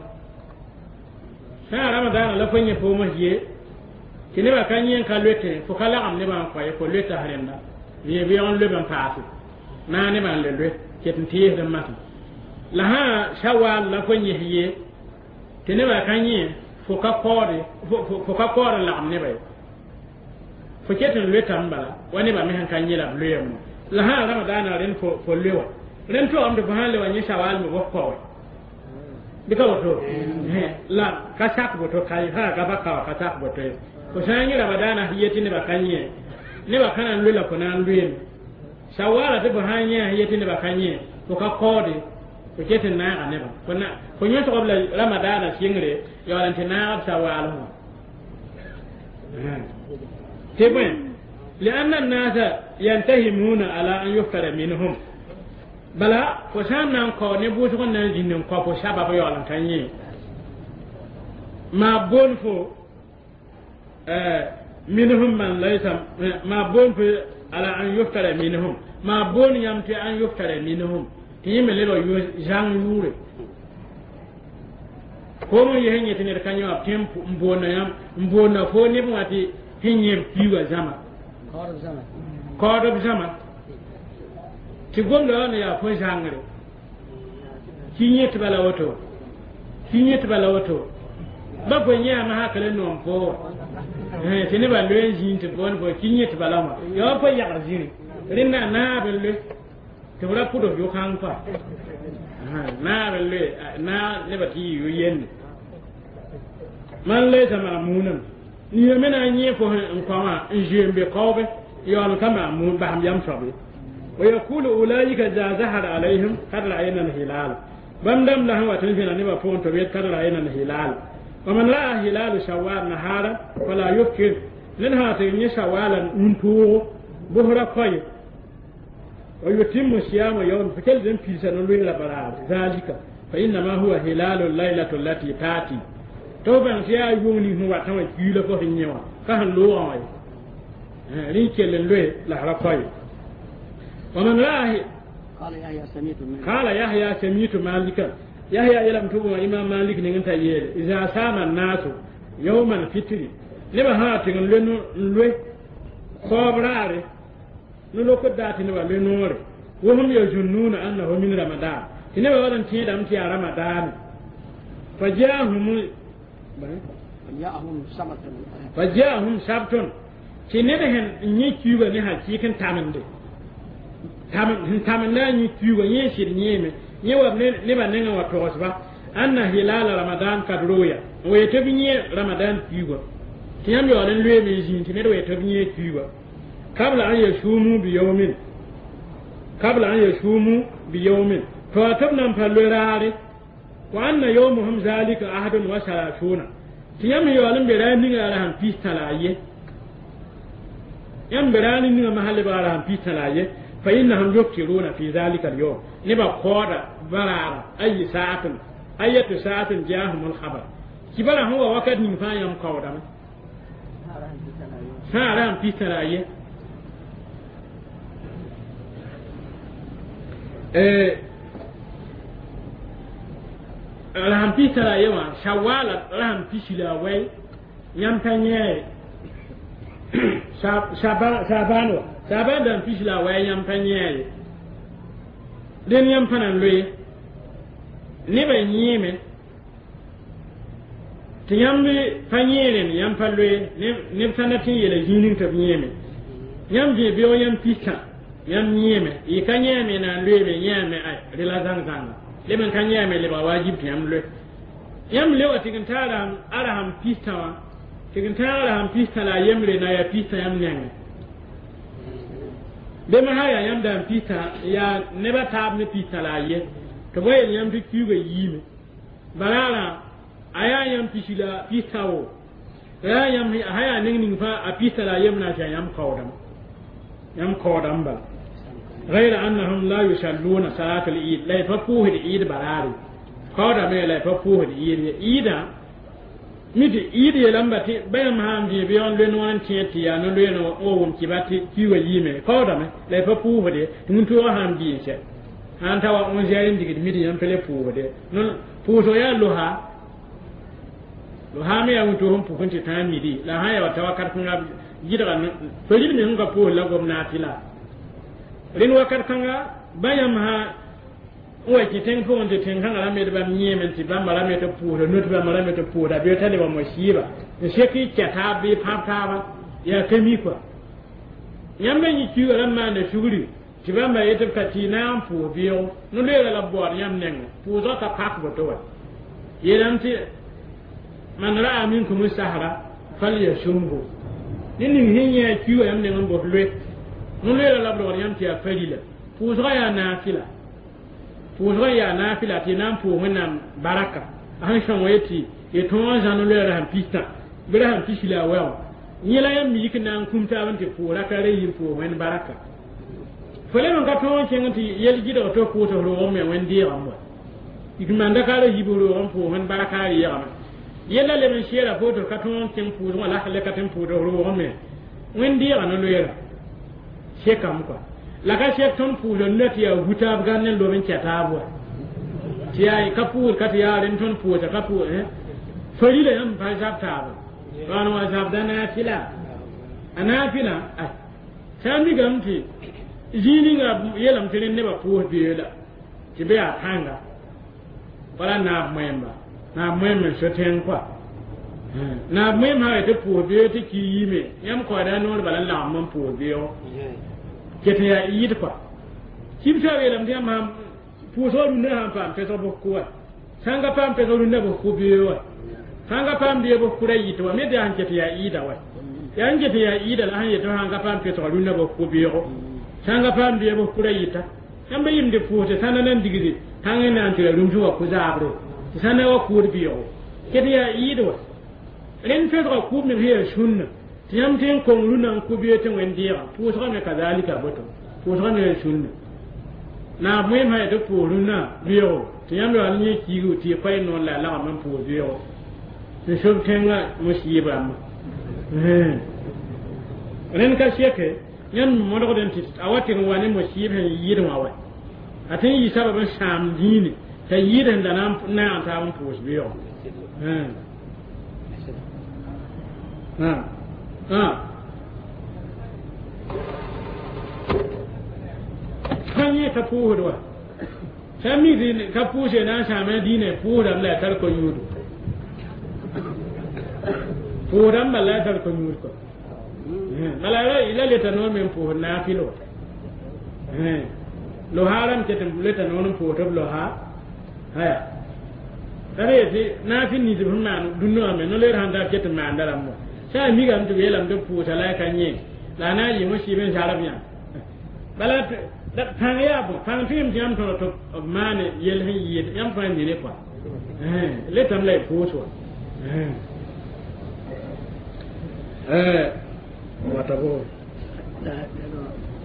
S1: sã ramadaana la fo yẽ foomã ye tɩ nebã ka yẽ n ka loetẽ fo ka lagem nebã n koa ye fo loeta rẽnda yẽ beoog n lob n paase maa nebã n le loe ket n teesd n masem la sã shawaal la fo yẽs ye tɩ nebã ka yẽ fo ka kaoode fo ka kaood n lagem nebã ye fo ket n loetame bala wa nebã me sẽn ka yẽ la b loeem la sã ramadaanã rẽnd fo fo loe wa rẽnd toogame tɩ fo sã n le wa yẽ sawaal me bos kaoe bɩ ka woto la ka sak boto ka sã ka pa kao ka sak boto ye fo sã n yẽ ramadaanã sẽn yetɩ nebã ka yẽ nebã ka na n loe la fo na n loeeme sawaala tɩ fo sã n yẽ sẽn yetɩ nebã ka yẽ fo ka kaoode fo ket n naaga nebã fo na fo yõsg b la ramadaanã sɩngre yaool n tɩ naag b sawaal wã tɩ bõe لأن الناس ينتهمون على أن يفتر منهم bala fo sã n na n kao ne bʋʋsg n na n zĩnd n kao fo sabab yaool n ka yẽ maa boon fo minhum man laysa maa boon fo ala an yuftara minhum maa boon yãmb tɩ an yuftara minhum tɩ yẽ me lebg zãng yʋʋre koom n yes n yẽ tɩ ned ka yẽ wã b tẽ n boonna yãmb n boonna fo neb wã tɩ sẽn yẽ b kiuugã zãma kaoodb zãma tɩ gomda wã ne yaa fo zãngre ki yẽ tɩ bala woto ki yẽ tɩ bala woto ba fo yẽame hakl n noom fo wa tɩ nebã loe n zĩig tɩ boond fo ki yẽ tɩ bala wã yaa fo yagr zĩri rẽnda naab n loe tɩ b ra pʋd f yʋkãng pa naab n loe naa nebã tɩ yɩ yo-yende man laysa mamunam nina me na n yẽ fo n kõ wã n zoe n be kaoobe yaool ka mamun basem yam soab ye ويقول أولئك إذا ظهر عليهم قد رأينا الهلال بام دم له وتنفينا نبا فون تبيت قد رأينا الهلال ومن رأى هلال شوال نهارا فلا يفكر لنها تغني شوالا ننتوغ بهرا كوي ويتم صيام يوم فكل ذن في سنة لبرار ذلك فإنما هو هلال الليلة التي تأتي توبا سيا يوني هو تما كيلا فهنيوا كهن لوغا ريكل لوي لهرا كوي ومن رأى
S2: قال يحيى سميت مالك
S1: قال يحيى سميت مالكا يحيى يلم تبو إمام مالك نغنتا يل إذا سام الناس يوم الفطر نبا ها تغن لنو لوي خبراري نلوك داتي نبا لنور وهم يظنون أنه من رمضان نبا ولن تيدم تي رمضان فجاءهم
S2: فجاءهم سبت
S1: فجاءهم سبت تي نبهن ني كيوغا ني حقيقة تامندي sẽn tamend la a yĩ kiuugã yẽ sɩd yẽeme yẽ wa nebã nengã wa togsba anna hilala ramadan kad roya n wa tɩ b yẽ ramadan kiuugã tɩ yãmb yaool n loeeme n zĩig tɩ ned wa tɩ b yẽ kiuugã kabla an yasumu biyawmin kabla an yasumu biyawmin to a tɩ b nan pa loe raare wa anna yawmuhum zalika ahadun wa salasuna tɩ yãmb yaool n be raar ninga la sãn pis-tã la a ye yãmb be raar ninga masã lebga la sãn pis-tã la a ye فإنهم يفطرون في ذلك اليوم نبا قودا برارا أي ساعة أية ساعة جاءهم الخبر كبرا هو وقت نفا يوم قودا ساعة في سراية رحم في سراية شوال رحم في سلاوي يمتنيه شعبان saban dan pis la wa yãmb pa yẽ ye dẽn yãmb pa na n loe nebã yẽeme tɩ yãmb pa yẽ rẽnd yãmb pa loe neb sã na tɩ n yeela zĩig ning tɩ b yẽeme yãmb dẽ beoog yãmb pistã yãmb yẽeme y ka yẽame na n loeeme yẽame ay rẽ la zãng-zãnga leb n ka yẽame lebga wajib tɩ yãmb loe yãmb le wa tɩg n taa arasam pistã wã tɩg n tãag arasam pistã la a yembre na yaa pistã yãmb nengẽ bem sã yaa yãmb daan pistã yaa nebã taab ne pistã la a ye tɩ b wa yel yãmb tɩ kiuugã yiime baraarã a yaa yãmb pisi la pistã wo yaa yãmb sã yaa neng ning fãa a pistã la a yemb na n tɩ yãmb kaoodame yãmb kaoodame bala غير أنهم لا يصلون صلاة العيد لا يفقوه العيد براري kaoodame la y pa pʋʋsd yɩɩd ye yɩɩdã mi tɩ yɩɩd yeelame tɩ ba yãmb sã n dẽ bɩ n loe noor n tẽed tɩ yaa no-loeene wa wʋm kɩba tɩ kiuugã yiime kaoodame la y pa pʋʋsd ye tɩ wĩntoogã sã n bɩ n sɛ sã n ta wa onze heures n digd midi yãmb pa le pʋʋsde pʋʋsg yaa losa losa me yaa wĩntoog n pʋk n tɩ tãag midi la sã n yaa wa ta wakat kãnga gɩdga fa rɩd me sẽn ka pʋʋs la gomna tɩ la rẽnd wakat kãnga ba yãmb sã n wa kẽ tẽng pʋgẽ tɩ tẽn-kãngã rãmb d bãmb yẽeme tɩ bãmba rame tɩ pʋʋsda not bãmba rame tɩ pʋʋsda bɩ t'a lebg mosiiba n sek y kɛ taab bɩ pãb taaba yaa ka mi kɔa Yãmb me yẽ kiuugã rãmb maanda sugri tɩ bãmba yetɩ b ka tɩ y na n pʋʋs beoogo no-loeera la b baood yãmb nengẽ pʋʋsgã ka pak boto wa yeelame tɩ man ra'a minkum sahra falyasumhu ne ning sẽn yẽ a kiuugã yãmb neng n bos loe no-loeera la b rogd yãmb tɩ yaa farila pʋʋsgã yaa naafɩla pʋʋsgã yaa naafɩla tɩ y na n pʋʋs wẽnnaam baraka a sẽn sõng yetɩ y tõog n zã no-loeera sẽn pistã bɩ ra sẽn pis la a wɛo yẽ la yãmb yik na n kum taab n tɩ pʋʋs raka ra yi n pʋʋs wẽnd baraka fo leb n ka tõog n kẽng tɩ yɛl gɩdg tɩ f pʋʋs f roog me wẽnd deegame wa yik manda ka ra yib roog n pʋʋs wẽnd baraka a reegame yella leb n seera fo tɩ f ka tõog n kẽng pʋʋsgã la le ka tɩ n pʋʋs f roog me wẽnd deega no-loeera sekame kɔa la ka sek tõnd pʋʋsd nuna tɩ yaa wu-taab gãnd n lob n kɛ taab wa tɩ yaa ka pʋʋs ka tɩ yaa rẽnd tõnd pʋʋsa ka pʋʋs farila yãmb pa zab taaba rãan wa zabda naafɩla a naafɩla sã n mikame tɩ zĩig ninga yeelame tɩ rẽnd nebã pʋʋs beoola tɩ bɩ yaa pãnga wala naab moẽmba naab moẽm n so tẽng kɔa naab moẽm sã tɩ pʋʋs beoog tɩ ki yiime yãmb kaooda noor bala n lagem n pʋʋs beoogo ket n yaa yɩd kɔa kibsã yeelame tɩ yãmb sãn pʋʋsgã rũndã sãn paam pesg bʋs kʋ wa sãn ka paam pesg rũndã bʋs kʋ beoog wa sãn ka paam beoog bʋs kʋ ra yɩt wa me yaa sẽn ket yaa ɩɩda wa yaa n ket yaa ɩɩda la sẽn yetɩ sãn ka paam pesg rũndã bʋs kʋ beoogo sãn ka paam beoog bʋs kʋ ra yɩta yãmb yɩmd pʋʋsde sãnda nan digde tãng n na n tɩ ra rũms wa kʋ zaabre tɩ sãnda wa kʋʋd beoogo ket yaa ɩɩd wa rẽnd pesgã kʋʋb meng sẽn yaa sũnna tɩ yãmb tɩ n kong rũndã n kʋ beoog tɩ wẽnd deega pʋʋsgã me kazalika boto pʋʋsgã me yaa sũnna naab moẽm sã yaa tɩ pʋʋs rũndã beoogo tɩ yãmb yaa yẽ kiigu tɩ y koɛɛ noor la a lagem n pʋʋs beoogo n sob tẽngã musiib rãmba rẽnd ka seke yãmb modgd n tɩ a wa tɩg n wa ne musiib sẽn yɩɩd wã wa a tɩ n yɩ sabab n sãam dĩine t'a yɩɩd sẽn da na n naag taab n pʋʋs beoogo sã yẽ ka pʋʋsd wa sã n mi tɩ ka pʋʋse na n sãama dĩinã pʋʋsdame la a tar ko-yũudo pʋʋsdame bala la a tar ko-yũud kɔ bala la leta noor me n pʋʋsd naafɩl wa loha rãmb ket n leta noor n pʋʋsd b loha aya tara yetɩ naafɩl nins b sẽn maan dũnna wã me no-loeer sãn tar ket n maanda rãmb wa sã a mikame tɩ b yeelame tɩ b pʋʋsa la a ka yẽ la a na n yɩ mosiib n zarb yã bala pãng yaa bõ pãng tɩ yãmb tɩ yãmb tõd tɩ b maane yell sẽn yɩɩd yãmb fãa mi ne kɔa letame la y pʋʋs wa wata bo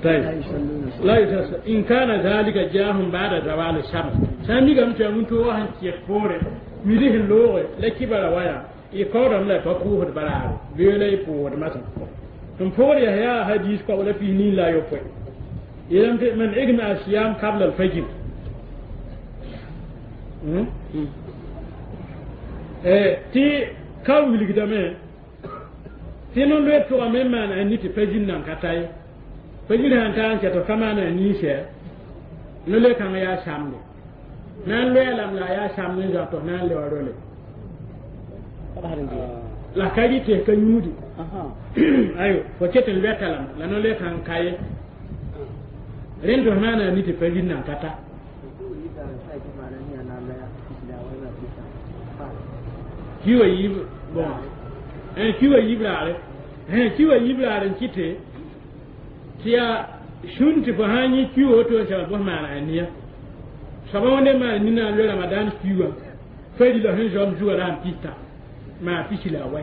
S1: طيب لا يتصل إن كان ذلك جاءهم بعد زوال الشمس سامي قام تيامون تو وهن تيكفور ميده اللوغ لا كبر ويا يقارن لا فكوه برار بيلا يفور مثلا ثم فور يا حديث قول فيه نين لا يفوي يلم من إجمع الصيام قبل الفجر إيه تي كاو يلقدامه tɩ no-loe pʋgame n maan a ni tɩ pa zĩnd nan ka ta ye pa zĩnd sãn ta n kɛtg ka maana a ninsɛ no-loe kãngã yaa samde na n loɛɛ lame la a yaa samd n zao tɩ f na n leba role la ka rɩ tɩ ka yũudi ayo fo ket n loɛta lame la no-loe kãng ka ye rẽnd tɩ f maana a ni tɩ pa zĩnd nan ka ta kiwa yiib bon kiwa yiib raare kiwa yiib raare n kɩte tɩ yaa sũn tɩ fo sã n yẽ kiwa woto n sɛbd bõs maana a nia soaba wẽnde maan nina n loe ramadan kiwa farila sẽn zaoom zugã ra sẽn pista maa pisi la a wɛ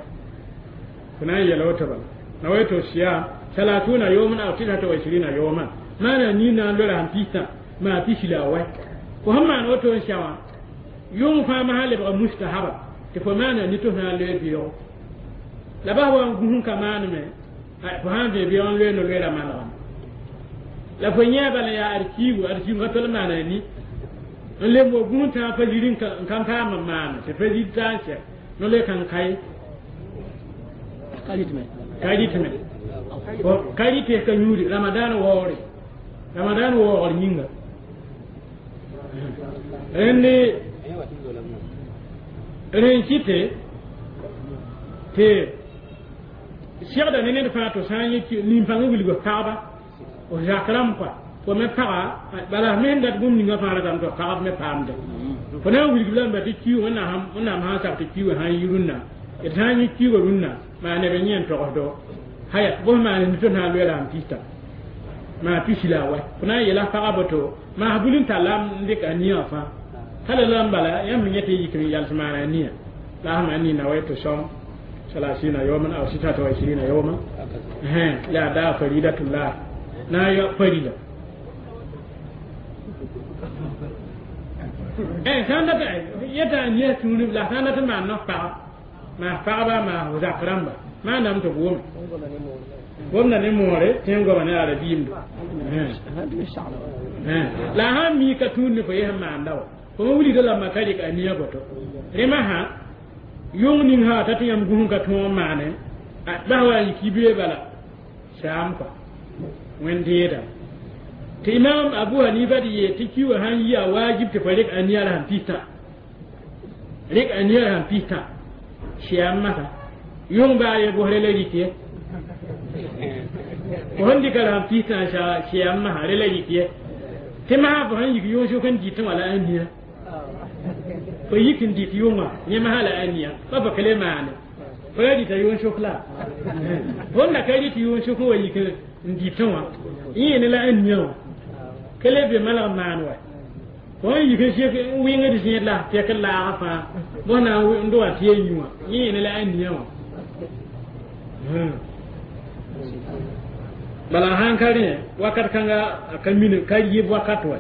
S1: fo na n yɛla woto bala nawaitu siyam salatuna yawman aw tisata wa ishirina yawman maana ni na n loe ra sẽn pista maa pisi la a wɛ fo sẽn maan woto n sɛ wã yʋng fãa masã lebga mustahaba tɩ fo maana ni tɩ f na n loe beoogo la bas wa n gũs n ka maaneme fo sãn vẽ beoog n loe no-loeera manegame la fo yẽ bala yaa ad kiigu ad kiigu ka tol maana ni n lem wa gũs tãag pa ziri n kan paam n maane tɩ pa zir t'a n sɛ no-loe kãng ka ye ka rɩtme ka rɩ tɩ ka yũudi ramadan waoore ramadan waoogr yĩnga rẽnd rẽn kɩte tɩ segda ne ned fãa tɩ sã n yẽ nin-pãng wilg pagba f zak rãmb kɔa fo me paga bala me sẽn dat bũmb ninga fãa ratame tɩ pagb me paamde fo na n wilg lame tɩ kiuug wẽnnaam sã n sak tɩ kiuugã sã n yi rũnnã d sã n yẽ kiuugã rũnnã maa neb n yẽ n togsdo haya bõs maan tɩ na n loe raam pista maa pisi la a wa fo na n yeela pagã boto maa bul n talla n dɩk a nia fãa tala la n bala yãmb yẽ tɩ yik n yals maana a nia la a sẽn nina wa tɩ sõm ثلاثين يوما أو ستة وعشرين يوما لا دا فريدة الله نا يا فريدة eh sãn dat yeta n yes tũud la sãn dat n maan no-pagb maa pagba maa zak rãmba maaname tɩ b wʋme womda ne moore tẽ n goama ne arabiimdo la a sãn mii ka tũud ne fo yes n maanda wa fo me wilgda lamba ka rɩk a nia boto rẽmã sã yʋng ning sã t'a tɩ yãmb gũs ka tõog n maane bas wa n yik yibeoe bala saam kɔa wẽn-deedame tɩ imam abu hanifa d yeel tɩ kiuugã sãn yi a waajib tɩ fo rɩk a nia la sẽn pistã rɩk a nia la sẽn pistã sɩam masã yʋng baa ye bʋsre la rɩk ye fo sẽn dɩka la sẽn pistã sɩam masã re la rɩk ye tɩ masã fo sẽn yik yʋng sʋk n dɩtẽ wã la a nia fo yik n dɩt yʋngã yẽ masã la a nia pa fo ka le maane fo ya dɩta yʋng sʋk la fo n da ka rɩt yʋng sʋk n wa yik n dɩtẽ wã yẽ ne la a nia wã ka le be malg maan wa fo n yik n sek n wɩngd zẽed la tɛk n laagã fãa bõs na n doga tɩ ya yũ wã yẽ ne la a nia wã bala sãn ka rẽ wakat kãnga a ka min ka yɩɩb wakat wa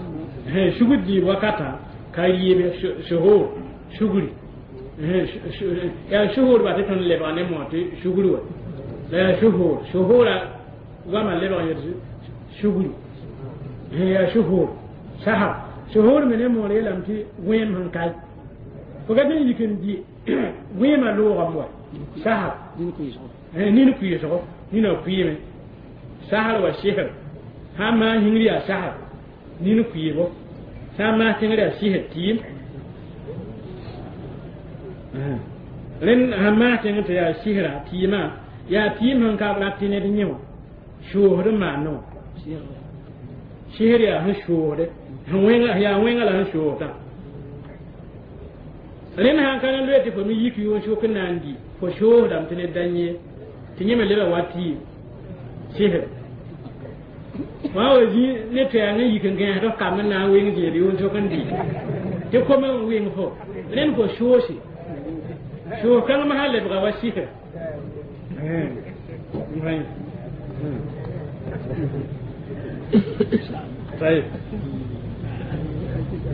S1: sugd dɩɩb wakatã ka yɩɩb suhur sugri yaa suhur ba tɩ tõnd lebg ne moa tɩ sugr wa la yaa suhur suhura goamã lebg n yet sugri yaa suhur sahar suhur me ne moor yeelame tɩ wẽem sẽn kae fo ka tɩ n yik n dɩ wẽemã loogame wa sahar nin kʋɩɩsgo nina kʋɩɩme sahar wa sihr sã n maan yĩngr yaa sahar nin kʋɩɩbo sã n maan tẽngr yaa sihr tɩɩm rẽnd sãn maan tẽngr tɩ yaa sihra tɩɩmã yaa tɩɩm sẽn ka rat tɩ ned yẽ wã soosd n maane wã sihr yaa sẽn soosde yaa wẽnga la sẽn soosdã rẽnd sãn ka na loe tɩ fo me yik yʋʋn sʋk n na n dɩ fo soosdame tɩ ned da yẽ tɩ yẽ me leba wa tɩɩm sihr wã wa zĩ ne tɩ n yik n gãesd f kamb n na n weng zẽed yʋʋn sʋk n dɩ tɩ kom n weng fo rẽnd fo soose soos kãng masã lebga wa sihr طيب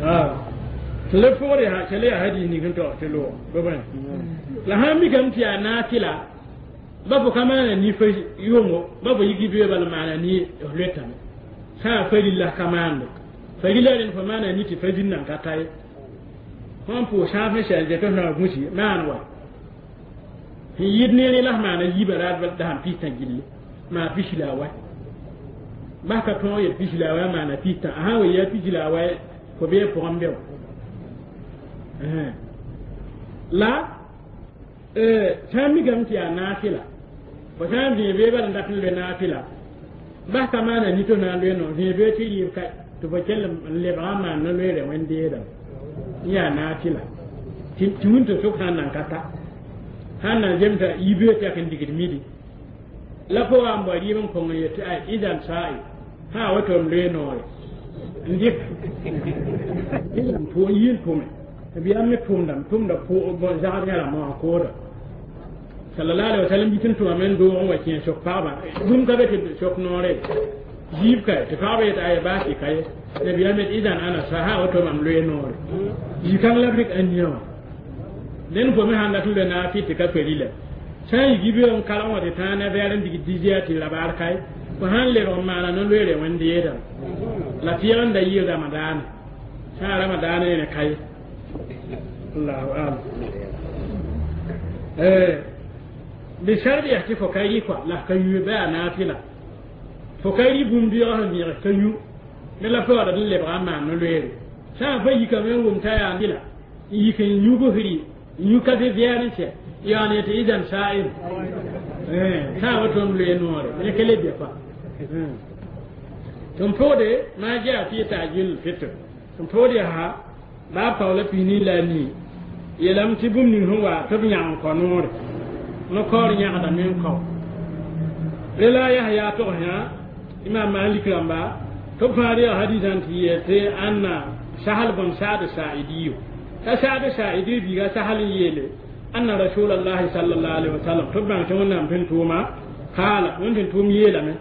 S1: آه تلفوري ها كلي هدي ني كنتو تلو بابا لا هامي كم تي نافلا بابو كمان ني في يومو بابو يجي بي بال معنا ني لوتام سا فلله كمان فلله لن فمانا ني تي فدين نان كاتاي فان بو شاف شان جتو نا غوشي مان وا يدني لا معنا يبرات بل دام بيتا جيلي ما بيشلا وا ba ka tõog yel pis la a wa maana pistã a sã n wa yaa pis la a wa fo bee pʋgẽ be wa la sã n mikame tɩ yaa naafɩla fo sã n vẽe bee bala n dat n loe naafɩla bas ka maana nito na n loe no vẽe bee tɩ rɩɩb ka tɩ fo kell n lebga n maan no-loeere wẽn-deedame n yaa naafɩla tɩ wĩnto sʋk sã n nan ka ta sã n nan zemsa yibee tɩ yak n digd midi la fo wa n bao rɩɩb n kõng n yetɩ ay idan sa'i ha wato m loe noore n dɩk n yɩ n tʋme b yaa me tʋmdame tʋmda zagd yã rãmbã wã kooda sallallahu alaihi wasallam yit n tʋmame n doog n wa kẽ sok pagba bũmb ka be tɩ sok noore ziib ka tɩ pagba yet aya baas ka ye nabiyaam yet idan ana sa ha wato mam loe noore zĩ-kãng la b rɩk a nia wã dẽn fo me sãn dat n loe naafɩ tɩ ka perila sã n yik yibeoog n kalg wã tɩ tãag ne vɛɛr n dig dizia tɩ rabaar kae fo sãn lebg n maana no-loeere wẽn-deedame la tɩɩg n da yɩ ramadaane sã n ramadaane ne kaye allahu alam bi sharti yaa tɩ fo ka rɩ kɔa la f ka yũ bɩ a naafɩla fo ka rɩ bũmb bɩg sẽn vẽeg ka yũ ne la fo wara n lebga n maan no-loeere sã n fa yikame n wʋm t'a yaa fɩla n yik n yũ bsri n yũ kafe vɛɛr n sɛ yaane tɩ idan sa'im Sã n woto m loe noore ne kele bɛ pa tɩ m pʋgde maa jaa fɩ ta'jil fitr tɩ m pʋgd yaa baa paola piini la a nii yeelame tɩ bũmb ning sẽn wa tɩ b yãg n kao noore no-kaoor yãgdame n kao rela Yahya togsã Imam Malik rãmba tɩ b fãa reeg hadisã tɩ yeel tɩ ãnna Sahal bn Saad Sa'idiyo t'a Saad Sa'idi biiga Sahal n yeele anna Rasulallahi sallallahu alaihi wasallam tɩ b bãng tɩ Wẽnnaam tɩ n tʋʋma kaala Wẽnd tɩ n tʋʋm yeelame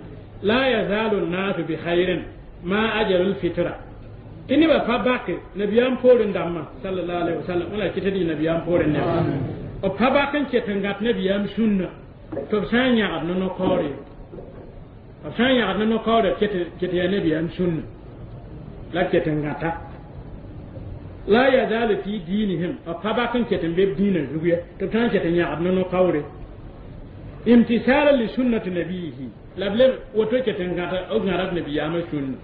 S1: la yazalu nnasu bi khairin ma ajalu lfitra tɩ nebã pa bake nabiyaam poorẽ dãmbã sallallahu alaihi wasallam wẽla kɩ tɩ dɩ nabiyaam poorẽ neba b pa bak n ket n gãt nabiyaam sũnna tɩ b sã n yãgd ne no-kaoore b sã n yãgd ne no-kaoore ket yaa nabiyaam sũnna la ket n gãta la yazalu fi dinihim b pa bak n ket n be b dĩinã zug ye tɩ b sã n ket n yãgd ne no-kaoore imtisalan li sunnati nabiyihi la b leb woto ket n gãta b gãda b nabiyaamã sũnna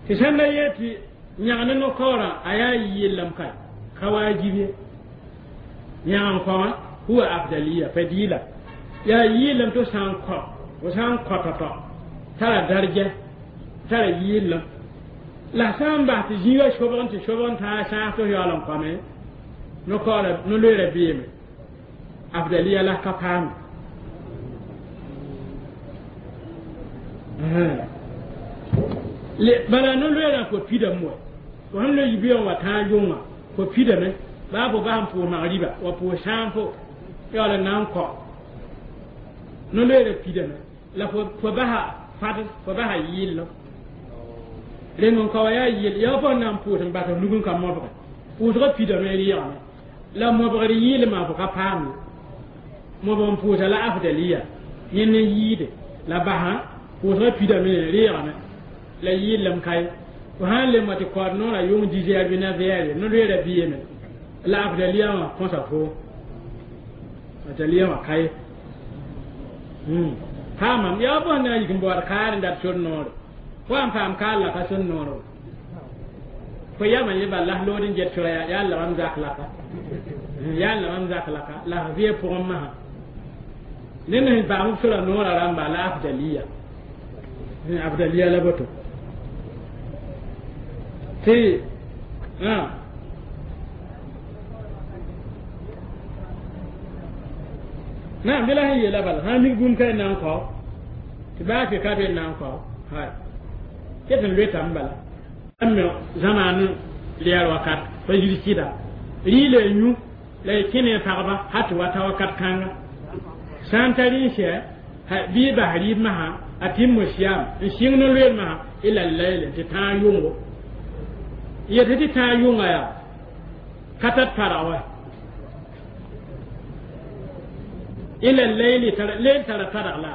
S1: tɩ sãn da yee tɩ yãg ne no-kaoorã a yaa yellame ka ka waajib ye yãg n kaoã huwa afdaliya fadila yaa yɩɩlem tɩ sã n kao fo sã n kao tao-tao tara darja tara yɩɩlem la sã n bas tɩ zĩigã sobg n tɩ sobg n tãag sãas tɩ f yaool n koame no-kaoora no-loeera beeme afdaliya la ka paame bala no-loeerã fo pidame wa fo sẽn loe yibeoogã wa tãag yʋngã fo pidame baa fo bas n pʋʋs magriba wa pʋʋs sãam fo yaool n na n kao no-loeerã pidame la fo basa fadl fo basa yɩllem reng n kao yaa yɩll yaa fo sẽn na n pʋʋs n bas f nug n ka mobge pʋʋsgã pidame rɩɩgame la mobgr yɩɩlmã fo ka paam ye mobg n pʋʋsa la afdaliya yẽnd n yɩɩde la basã pʋʋsgã pidame rɩɩgame la yɩllem ka ye fo sã n lem wa tɩ kaood noorã yʋng dizɛɛr bɩ na vɛɛre no-loeerã beeme la afdaliya wã kõsa fo afdaliya wã ka ye paamam yaa fo sẽn na n yik n baood kaar n dat sor noore fo n paam kaar la ka sor noore fo yama ye bal la lood n get sora yaa la mam zak laka yaa la mam zak laka la f vɩ pʋgẽ masã ned sẽn paam b sora noorã rãmba la afdaliya afdaliya la boto tɩ naam bɩ la sẽn yeela bala sã n mik bũmb ka n na n kao tɩ baa fɩ ka be n na n kao hay ket n loetame bala me zãmaan lɛɛr wakat pa yir sɩda rɩɩla y yũ la y kẽ ne pagba ha tɩ wa ta wakat kãnga sã n tar n sɛ bɩ y bas rɩɩb masã a tɩm siyam n sɩng no-loeer masã ila layl tɩ tãag yʋngo yetɩ tɩ tãag yʋnga yaa ka tar parg wa ila layli leyl tara targ la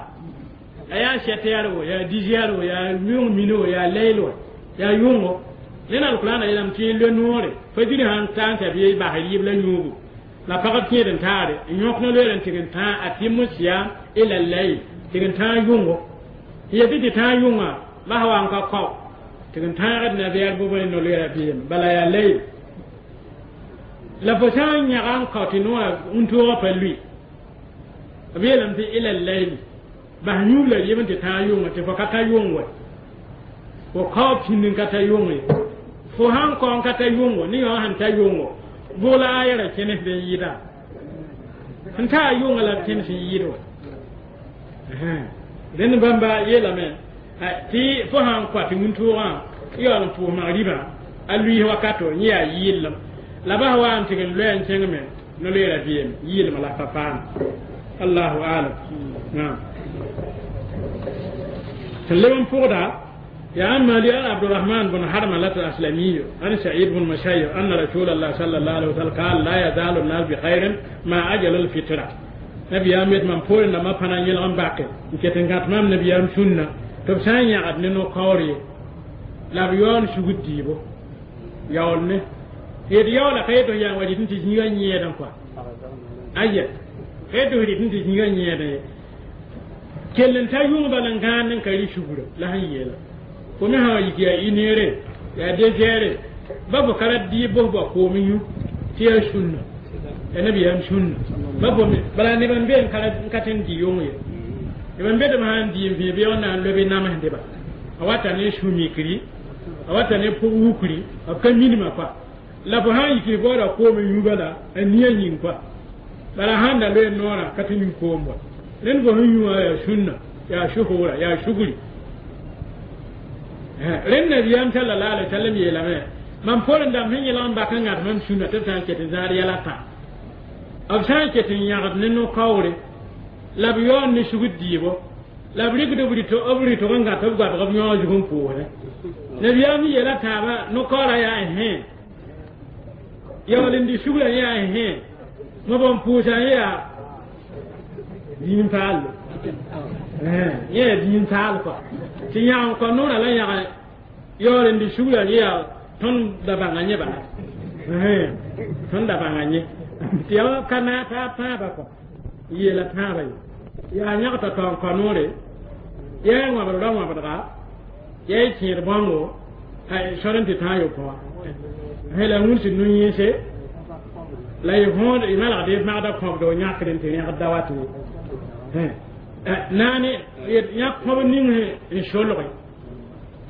S1: a yaa sɛt wo yaa dizɛɛr wo yaa yʋng mini wo yaa layl wa yaa yʋngo ned alkurãana yeelame tɩ lo noore fajiri sãn ta n t'a bɩ bas rɩɩb la yũugu la pagb kẽed n taare n yõk no-loeer n tɩg n tãag a tɩm siyam ila layl tɩg n tãag yʋngo yetɩ tɩ tãag yʋngã bas wa n ka kao tɩg n tãagd na vɛɛr bʋ bõe no-loeerã beeme bala yaa layl la fo sã n yãga n kao tɩ noorã wũntoogã pa lʋɩ b yeelame tɩ ila layli bas yũub la rɩɩb n tɩ tãag yʋngã tɩ fo ka ta yʋng wa fo kao pĩnd n ka ta yʋng ye fo sãn kao n ka ta yʋngo ne yõ sẽn ta yʋngo bʋg la ayɛra kẽnes n yɩɩda sẽn taa yʋngã la b kẽnes n yɩɩd wa rẽnd bãmba yeelame tɩ fo sãn kɔa tɩ wũntoogã yaool n pʋʋs magribã a luiis wakato yẽ yaa yɩɩllem la bas wa n tɩg n loɛ n kẽngme no-loeerã beeme yɩɩlmã la pa paam allahu alam naam sẽn leb n pʋgda يا عم عبد الرحمن بن حرملة الأسلمي عن سعيد بن مسيب أن رسول الله صلى الله عليه وسلم قال لا يزال الناس بخير ما أجل الفترة نبي أميت من بول لما فانا يلغم باقي كتن كاتمام نبي أم سنة تبسان يعد ننو قوري لا بيون شغد ديبو يولني يد يولا خيطو يان وجدن تجنيغا نيدن كوا أيه خيطو يدن تجنيغا نيدن كلن تا يوم بلنغان نكري شغل لا هيلا fo me sã yik yaa ineere yaa dezɛɛre ba fo ka ra dɩɩb bos ba koom yũ tɩ yaa sũnna yaa nabiyaam sũnna Ba fo bala neb n be n ka tɩ n dɩ yʋng ye neb n be tɩ b sã n dɩ n vẽ beoog na n lobe namsdeba a wata ne sũ-mikri a wata ne pʋg wukri b ka minimã kɔa la fo sã n yik baooda koom n yũ bala a nia yĩng kɔa bala sãn da loe noorã ka tɩ yũ koom wa rẽnd fo sẽn yũ wã yaa sũnna yaa sʋsʋgra yaa sugri rẽnd nabiyaam sallallahu alaihi wasallam yeelame mam poorẽ dãmb sẽn yẽlg n bak n gãd mam sũnna tɩ b sã n ket n zãad yɛl a tã b sã n ket n yãgd ne no-kaoore la b yaoon ne sugd dɩɩbo la b rɩkd b rɩtg n gãt b goabg b yõog zug n pʋʋsdẽ nabiyaam yeela taaba no-kaoorã yaa hẽ yaool n dɩ sugrã yaa hẽ mob n pʋʋsã yaa dĩin paalle yẽ yaa dĩin taal kɔa tɩ yãg n kɔ noorã la yãg yaool n dɩ sugrã yaa tõnd da bãnga yẽ bala tõnd da bãnga yẽ tɩ yaa ka naag taab tãabã kɔ yeela tãabã ye yaa yãgta tao n kɔ noore yaa y wãbd ra wãbdga yaa y tẽed bãngo sor n tɩ tãa yopõ wã la wĩnsd nu-yẽese la y võod y malgd y magda kõbdo yãkd n tɩ rẽgd da wat ye naane yãk kõb ning n solge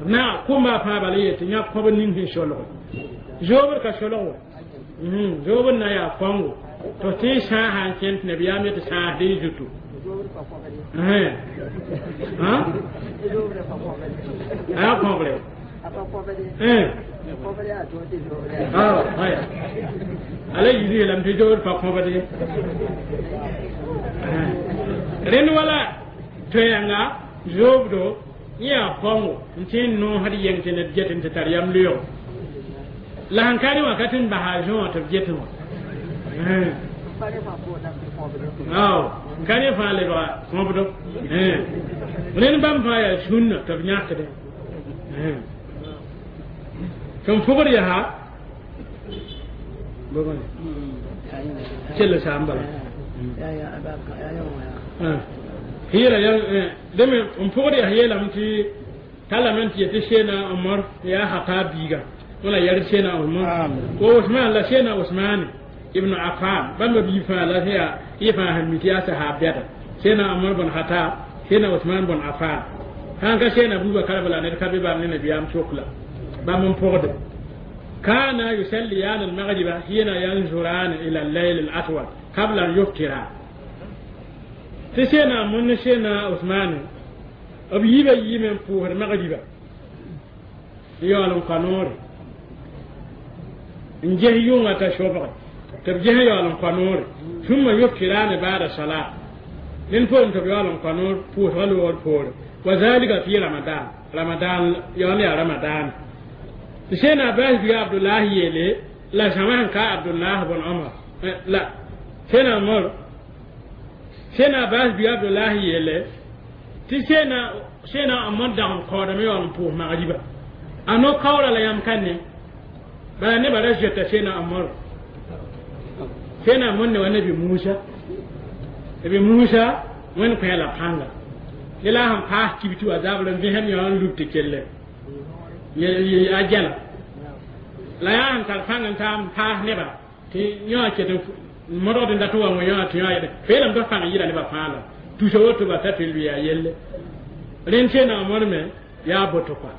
S1: na kʋmba fãa bala yetɩ yãk kõb ning sẽn solge zoobd ka solg wa zoobd na yaa kõngo tɩ tɩ n sãasa n kẽnd tɩ nabiyaam yetɩ sãasd y zutu a kõbre ala yizi yeelame tɩ zoobd pa kõbd ye rẽnd wala toɛɛnga zoobdo yẽ yaa kõngo n tɩ n noosd yeng tɩ ned get n tɩ tar yam leoog la sẽn ka rẽ wã ka tɩ n basa a zõo tɩ b getẽ wã n ka rẽ fãa lebga kõbdo rẽnd bãmb fãa yaa sũnna tɩ b yãkdẽ tɩ n fʋgd yaa kell saam bala hɩɩra deme n pʋgd yaa yeelame tɩ talame tɩ yetɩ seena Omar yaa Hataab biiga wala yɛr seena Omar wa Usman la seena Usmane ibn Affan bãmba bii fãa la yaa y fãa sẽn mi tɩ yaa sahaab bɛda seena Omar bn Hataab seena Usman bn Affan sãn ka seena Abubakar bala ned ka be bãmb ne nabiyaam sokla bãmb n pʋgde كان يصليان المغرب حين ينظران إلى الليل الأسود قبل أن يفطرا تسينا من سينا عثمان b yiibã yiime n pʋʋsd magriba yaool n kõ noore n ges yʋngã t'a sobge tɩ b ges yaool n kõ noore sũmma yuftirani bada salat ned poorẽ tɩ b yaool n kõ noor pʋʋsgã loogr poore wa zalika fi ramadan ramadan yaool yaa ramadan tɩ sẽna Abbas bia Abdullah yeele la zãma sẽn ka Abdullah bn Omar la sẽna Omar sẽna Abbas bia Abdullah yeele tɩ sẽna sẽna Omar dag n kaoodame yaool n pʋʋs magriba a no-kaoora la yãmb ka ne bala nebã ra zoeta sẽna Omar sẽna Omar ne wa nabi Musa nabi Musa wẽnd kõ la pãnga ne la sẽn paas kibtɩ wa zabr n vẽsem yaool n lub tɩ kelle a gɛla la yaa sẽn tar pãng n taa n paas nebã tɩ yõ ket n modgd n dat n wa wẽ yõ tɩ yõ yɛd feelame tɩ pãng yɩra nebã fãa la tusa woto ba ta tɩ lʋɩ a yelle rẽnd sẽna Omar me yaa boto kɔa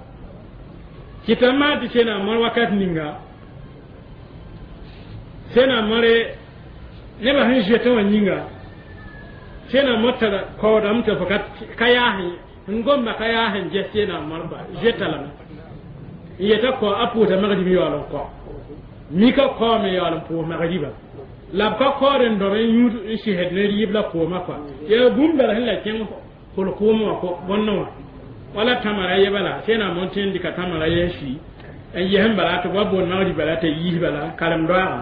S1: kɩta maa tɩ sẽna Omar wakat ninga sẽna Omar nebã sẽn zoetẽ wã yĩnga sẽna Omar tara kaoodame tɩ fo ka yaas n gomba ka yaas n ges sẽna Omar kɔa zoeta lame n yeta kɔ a pʋʋsa magrib yaool n kɔ mika kaoome yaool n pʋʋs magriba la b ka kaood n dõb n yũud n sɩsd ne rɩɩb la koomã kɔa yaa bũmb bala sẽn la kẽng kol-kʋʋm wã bõnnẽ wã wala tãmara ye bala sẽna mon tẽ n dɩka tãmara ye n sui n ges n bala tɩ b wa boond magrib bala t'a yiis bala karem-doaagã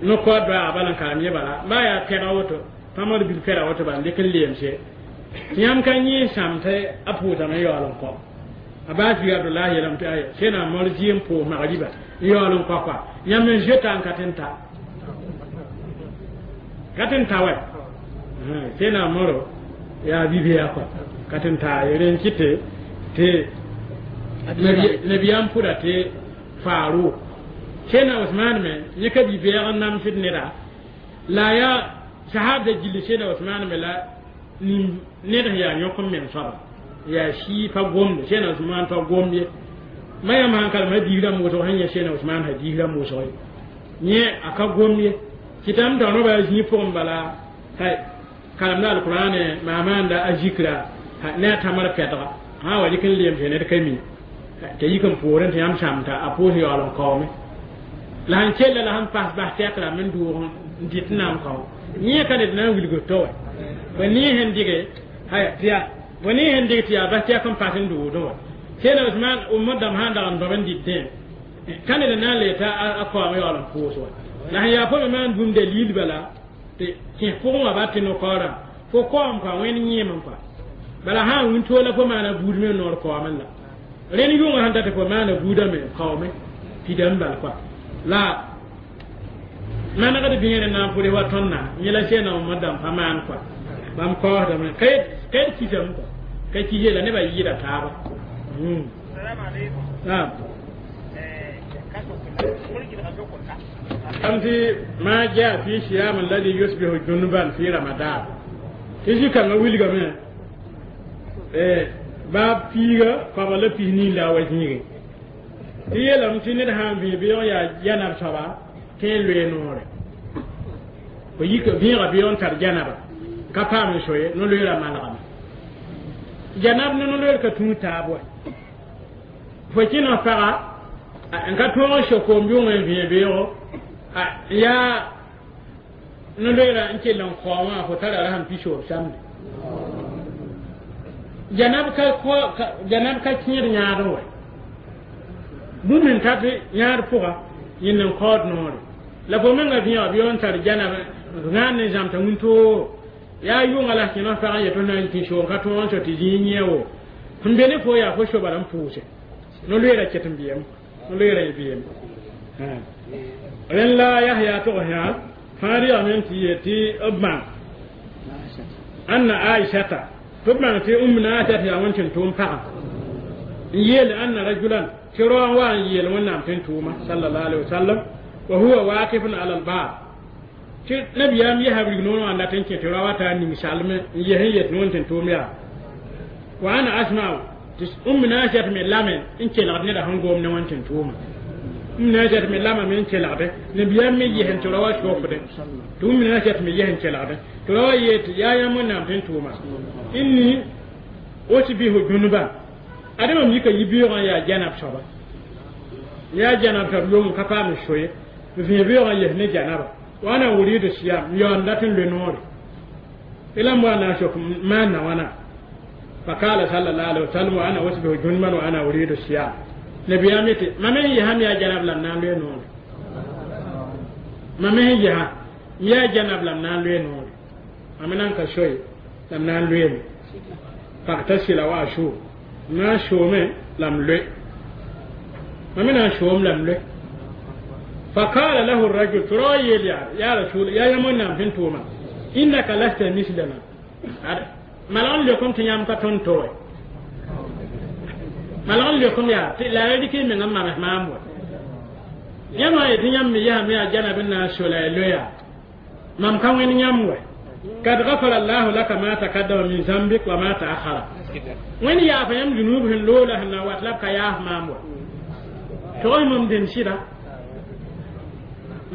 S1: no-kaood doaaga bala n karem ye bala baa yaa pɛga woto tãmar bil pɛda woto bala n dɩk n leemse tɩ yãmb ka yẽ sãm tɩ a pʋʋsame yaool n kɔ Abbas bi Abdullah yeelame tɩ aya sẽna Omar zɩ n pʋʋs magriba n yaool n kɔ kɔa yãmb n zoeta n ka tɩ n ta ka tɩ n ta wɛ sẽna Omaro yaa bibeya kɔa ka tɩ n taa rẽn kɩtɩ tɩ nabiyaam pʋda tɩ Faaruk sẽna Usman me yẽ ka bi-bɛɛg n namsd neda La yaa sahabda gilli Seedna Usmaan me la ned sẽn yaa yõk n meng soaba yaa sii pa gomde Seedna Usmaan pa gomd ye ma yãmb sãn kalem hadiis rãmb wʋsg sẽn yẽ Seedna Usmaan hadiis rãmb wʋsg ye yẽ a ka gomd ye kɩtame t'a rõba a zĩig pʋgẽ bala hay kalemda alqur'ane maamaanda a zikra ne a tãmr pɛdga sã wa dɩk n leem tɩ ned ka mi t'a yik n poorẽ tɩ yãmb sãmta a pʋʋs yaool n kaoome la sẽn kella la sẽn pas bas tɛk rãmb n doog n dɩt n na n kao yẽ ka ned na n wilg to wa fo nee sẽn dɩge haya tɩ yaa fo nee sẽn dɩg tɩ yaa bas tɛk n pas n doodẽ wa Seedna Usmaan umma dãmb sã n dag n dõb n dɩtẽ ka ned n na n le t'a a kaoom yaool n pʋʋs wa la sẽn yaa fo me maan bũmb dalil bala tɩ kẽes pʋgẽ wã ba tɩ no-kaoorã fo kaoom kɔa wẽnd yẽem n kɔa bala sã n wĩntoog la fo maana buud me noor kaoomẽ la rẽnd yʋngã sẽn dat tɩ fo maana buudame kaoome pidame bal kɔa la manegd bĩegr n na n pʋdɩ wa tõndã yẽ la Seedna Mohamad dãmb pa maan kɔa bãmb kaoosdame ka d kisame kɔa ka kis la nebã yɩɩda taaba naam am tɩ ma jaa fi siyam alladhi yusbihu junuban fi ramadan tɩ zĩ-kãngã wilgame baab piiga koabg la pis nii la a wa zĩige tɩ yeelame tɩ ned sã n vẽe beoog yaa janab soaba tɩ n loe noore fo yik vẽega beoog n tar janaba ka paam n so ye no-loeera malgame janab ne no-loeer ka tũud taab wa fo kẽneg paga n ka tõog n so koom yʋng n vẽe beoogo yaa no-loeera n kell n kaoom wã fo tara rasem pisoob samde janab ka janab ka kẽed yãadẽ wa bũmb sẽn tat yãad pʋga yẽnd n kaood noore la fo menga vẽega beoog n tar janab gãan ne zãmta wĩntoogo yaa yʋnga la kẽneg pag n yet f na n tĩ soom ka tõog n so tɩ zĩig yẽ wo sẽn be ne fo yaa fo sobara n pʋʋse no-loeera ket n bɩyem no-loeera y bɩyem rẽnd la Yahya tog yã fãa rɩgame tɩ yet tɩ b bãng anna Aishata tɩ b bãng tɩ Umm Aishat yaa wẽn tɩ n tʋʋm pagã n yeel anna rajulan tɩ rao n wa n yeel Wẽnnaam tɩ n tʋʋma sallallahu alaihi wasallam wa huwa waqifun ala albab tɩ nabiyaam yɛsa wilg noor wã n dat n kẽ tɩ rao wa taa ning salme n yes n yet wẽn tɩ n tʋʋm yaa wa ana asma'u tɩ Umm Aishat me lame n kelgd neda sẽn gom ne wẽn tɩ n tʋʋma Umm Aishat me lamame n kelgde nabiyaam me yes n tɩ rao wa sokde tɩ Umm Aishat me yes n kelgde tɩ rao wa yeel tɩ yaa yãmb Wẽnnaam tɩ n tʋʋma inni usbihu junuban ade mam yika yibeoogã n yaa janab soaba yaa janab soab yong ka paam n so ye vẽe beoogã yes ne janaba wa ana uridu siyam n yaool n dat n loe noore tɩ la m wa na n sok maanna wãna fakala sallallahu alaihi wasallam wa ana usbihu junuban wa ana uridu siyam nabiyaam yetɩ mam n yesame yaa janab la m na n loe noore mam n yesa m yaa janab la m na n loe noore mam nan ka soye la m na n loeeme faktasila wa asuu m na n soome la m loe mam me na n soom la m loe فقال له الرجل ترى يا رسول يا يمن نام تنتوما إنك لست مثلنا ملعون لكم تنيام كتون توي ملعون لكم يا لا يدك من أما مام يا ما يتنيام يا ميا جنب الناس ولا لويا مام كان وين يام قد غفر الله لك ما تقدم من ذنبك وما تأخر وين يا فيم ذنوب لولا هنا واتلبك يا مام تقول مم دين شيرا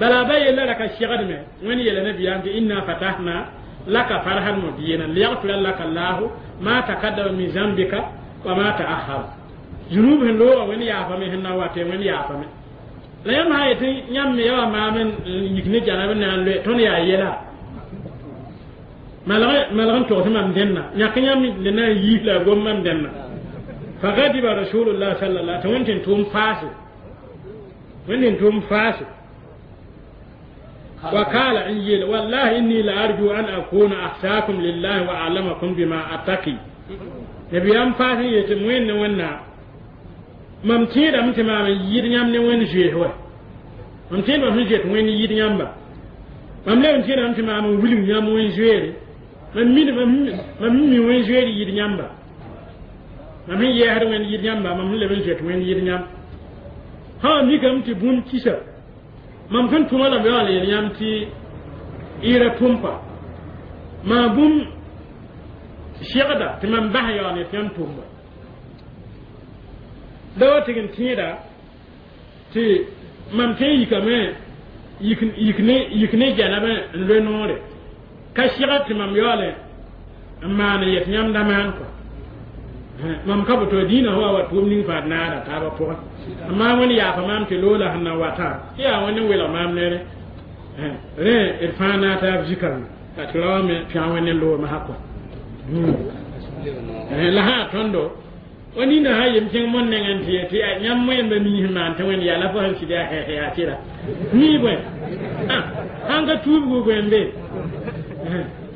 S1: بلا باي لا لك الشغل ما وين يلا نبي أنت إنا فتحنا لك فرحا مبينا ليغفر لك الله ما تقدم من ذنبك وما تأخر ذنوب لو وين يا فمي هنا واتي وين يا فمي لا يم هاي تي يم يا ما من يكني جانا من لو تون يا يلا ما لا ما لا تو تمام دنا يا كنيام لنا يلا غوم دنا فغضب رسول الله صلى الله عليه وسلم توم فاس وين توم فاس وقال إنجيل والله إني لأرجو أن أكون أخشاكم لله وأعلمكم بما أتقي نبي أم فاتن يتموين ونا ممتين أم تمام يدنيام نوين جيه هو ممتين أم جيت وين يدنيام با مملا ممتين أم تمام ولم يام وين جيه ممين ممين وين جيه يدنيام با ممين يهر وين يدنيام با ممين لبن جيت وين يدنيام ها ميكم تبون كيسا mam sẽn tʋma lame wã la yel yãmb tɩ ira tʋm kɔa maa bũmb segda tɩ mam bas yaool ne tɩ yãmb tʋmba da wa tɩg n tẽeda tɩ mam tõe n yikame yik ne yik ne janaba n loe noore ka sega tɩ mam yaoole n maan n yet yãmb da maan kɔa mam ka boto dĩinã wa wa tʋʋm ning fãa d naada taabã pʋgẽ maa wẽnd yaafa maam tɩ loola sẽn na watã tɩ yaa wẽnd n welg maam nere rẽ d fãa naa taab zikame la tɩ ra wame pẽg wẽnd n loog masã kɔa la sã tõndo wa nina sã yem kẽng mon nengẽ tɩ ye tɩ yãmb wẽmba mii sẽn maan tɩ wẽnd yaa la fo sẽn sɩd yaa hɛɛs yaa sɩda mii bõe sãn ka tuubgu bõe n be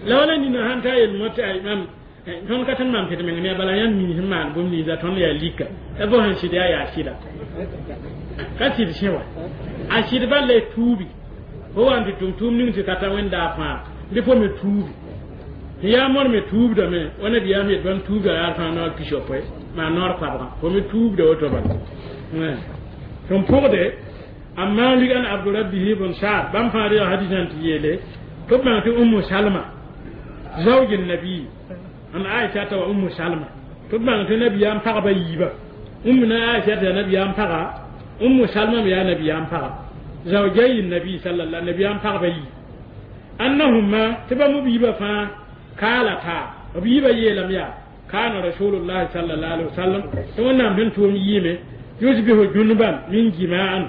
S1: la wala nina sãn ta yel mo tɩ mam tõnd ka tõnd maam tɩ d meng ne bala yãmb mii sẽn maan bũmb ninsa tõnd yaa lika la fo sẽn sɩd yaa yaa sɩda ka sɩd sẽ wa a sɩd bal la tuubi fo wa n tɩ tʋm tʋʋm ning tɩ ka ta wẽndaa fãa bɩ fo me tuubi tɩ yaa mõr me tuubdame wa nabiyaam yet bãmb tuubda yaa fãa noor pisopoe maa noor koabgã fo me tuubda woto bala sẽn pʋgde a maalik an abdurabbihi bn saad bãmb fãa rɩga hadisã tɩ yeele tɩ b bãng tɩ ummu salma zawj nabii an aishata wa ummu salma tɩ b bãng tɩ nabiyaam pagba yiiba ummu na aishata yaa nabiyaam paga ummu salma me yaa nabiyaam paga zawjayi nabi sallallahu nabiyaam pagba yii annahuma tɩ bãmb b yiibã fãa kaalata b yiibã yeelame yaa kana rasulullahi sallallahu alaihi wasallam tɩ wẽnnaam sẽn tʋʋm yiime yusbihu junuban min jima'an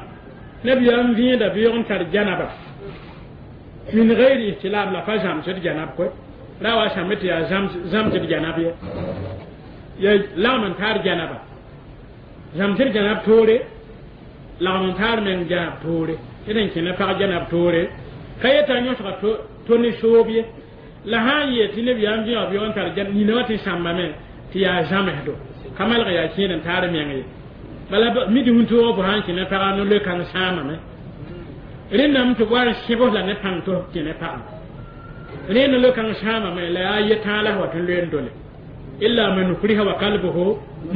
S1: nabiyaam vẽeda beoog n tar janaba min ghairi ihtilam la fa zãmsd janab koe ra wa sãmbe tɩ yaa zãmsd janab ye ya lagm n taar janaba zãmsd janab toore lagm n taar meng janab toore d n kẽna pag janab toore ka yeta yõsga to ne soob ye la sã n yeel tɩ nabiyaam vẽog beoog n tar nina wã tɩ sãmbame tɩ yaa zãmsdo ka malg yaa kẽed n taar meng ye bala mid wĩntoogã fo sã n kẽna pagã no-loe-kãng sãamame rẽndame tɩ wa n sẽbs la ne pãng tɩ f kẽne pagã rẽ no-loe-kãng sãamame la yaa ye-tãa la f wa tɩ loe n dole illa man ukriha wa qalbuhu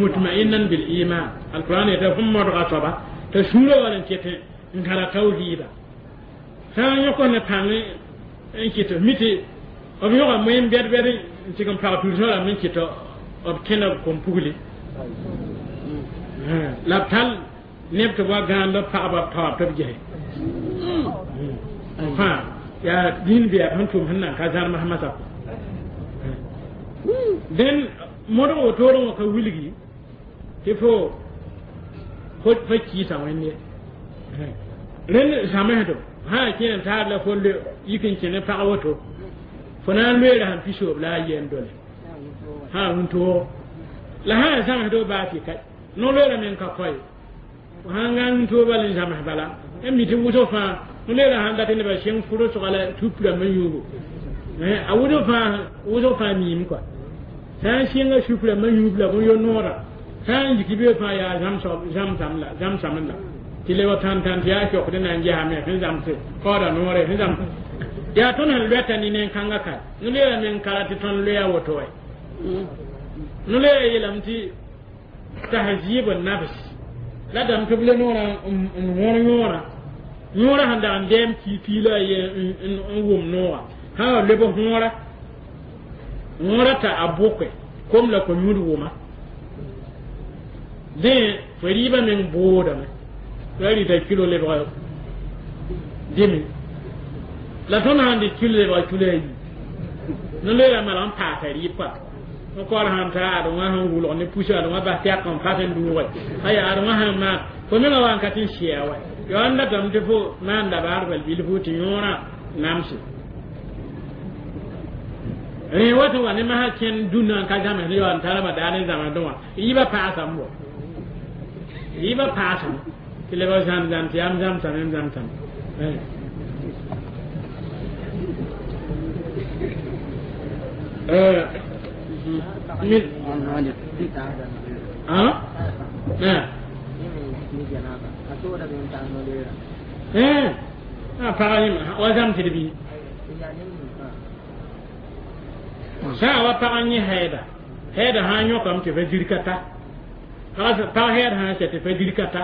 S1: mutma'innan bil iman alquran yeta fõm modga soaba t'a sũurã wall n ket n kãra tawhiida sã n yõk ne pãng n kɩt mi tɩ b yõga moyen bɛd bɛd n tɩg n pag tudsã rãmb n kɩt b kẽna b kom-pugli la b tall neb tɩ b wa gãand b pagba b taoor tɩ b gese fãa yaa dĩin bɛɛb sẽn tʋm sẽn nan ka zãrms masã dẽn modg wotoorẽ wã ka wilgi tɩ fo fo kiisa wẽnd ye rẽnd zãmsdo sã n kẽ n taar la fo yik n kẽne pag woto fo na n loeera sẽn pisoob la a yɛn dole sã wĩntoog la sã n zãmsdo baa tɩ ka no-loeera meng ka koe sãn gã wĩntoog bal n zãms bala n mi tɩ wʋsg fãa no-loeera sãn dat nebã sẽng fʋrʋsga la tupra me yũugo a wʋsg fãa wʋsg fãa miime kɔa sã n sẽnga supra me yũub la bõe yo noora sã n yik be fãa yaa zãmsam la zãmsam la tɩ le wa tãn-tãn tɩ yaa kiokd na n gesame sẽn zãmse kaooda noore sẽn zãms yaa tõnd sẽn loɛta ne nen-kãngã ka no-loeera meng kara tɩ tõnd loeya woto wɛ no-loeera yeelame tɩ tahzib nafs la dame tɩ b le noorã n wõr yõorã yõorã sẽn dag n dɛɛm ki piila a ye n wʋm nooga sã wa leb võora võora t'a a bʋke kom la ko-yũud wʋma dẽ fo rɩɩbã meng boodame la rɩta kilo lebga dẽme la tõnd sãn dɩ kilo lebga kilo ayi no-loeera malg n paasa rɩɩb kɔa n kaoor sãn ta ad wã sẽn wʋlg ne pusa ad wã bas tɛk n fas n dʋʋge aya ad wã sẽn maan fo mengã wa n ka tɩ n sɩa wa yo n datame tɩ fo maan dabaar bal bilfu tɩ yõorã namse rẽ wa tɩ wa ne masã kẽnd dũnã n ka zãms ne yaool n tara ramadan n zãmsdẽ wã yɩɩbã paasame bo yɩɩbã paasame tɩ lebg zãm zãm tɩ yaa m zãmsame m zãmsame من ها ها eh a paga yẽm wa zãmsd bɩ sã wa pag n yẽ hɛɛda hɛɛda sã n yõkame tɩ fa zirka ta pag hɛɛd sã n sɛ tɩ fa zirka ta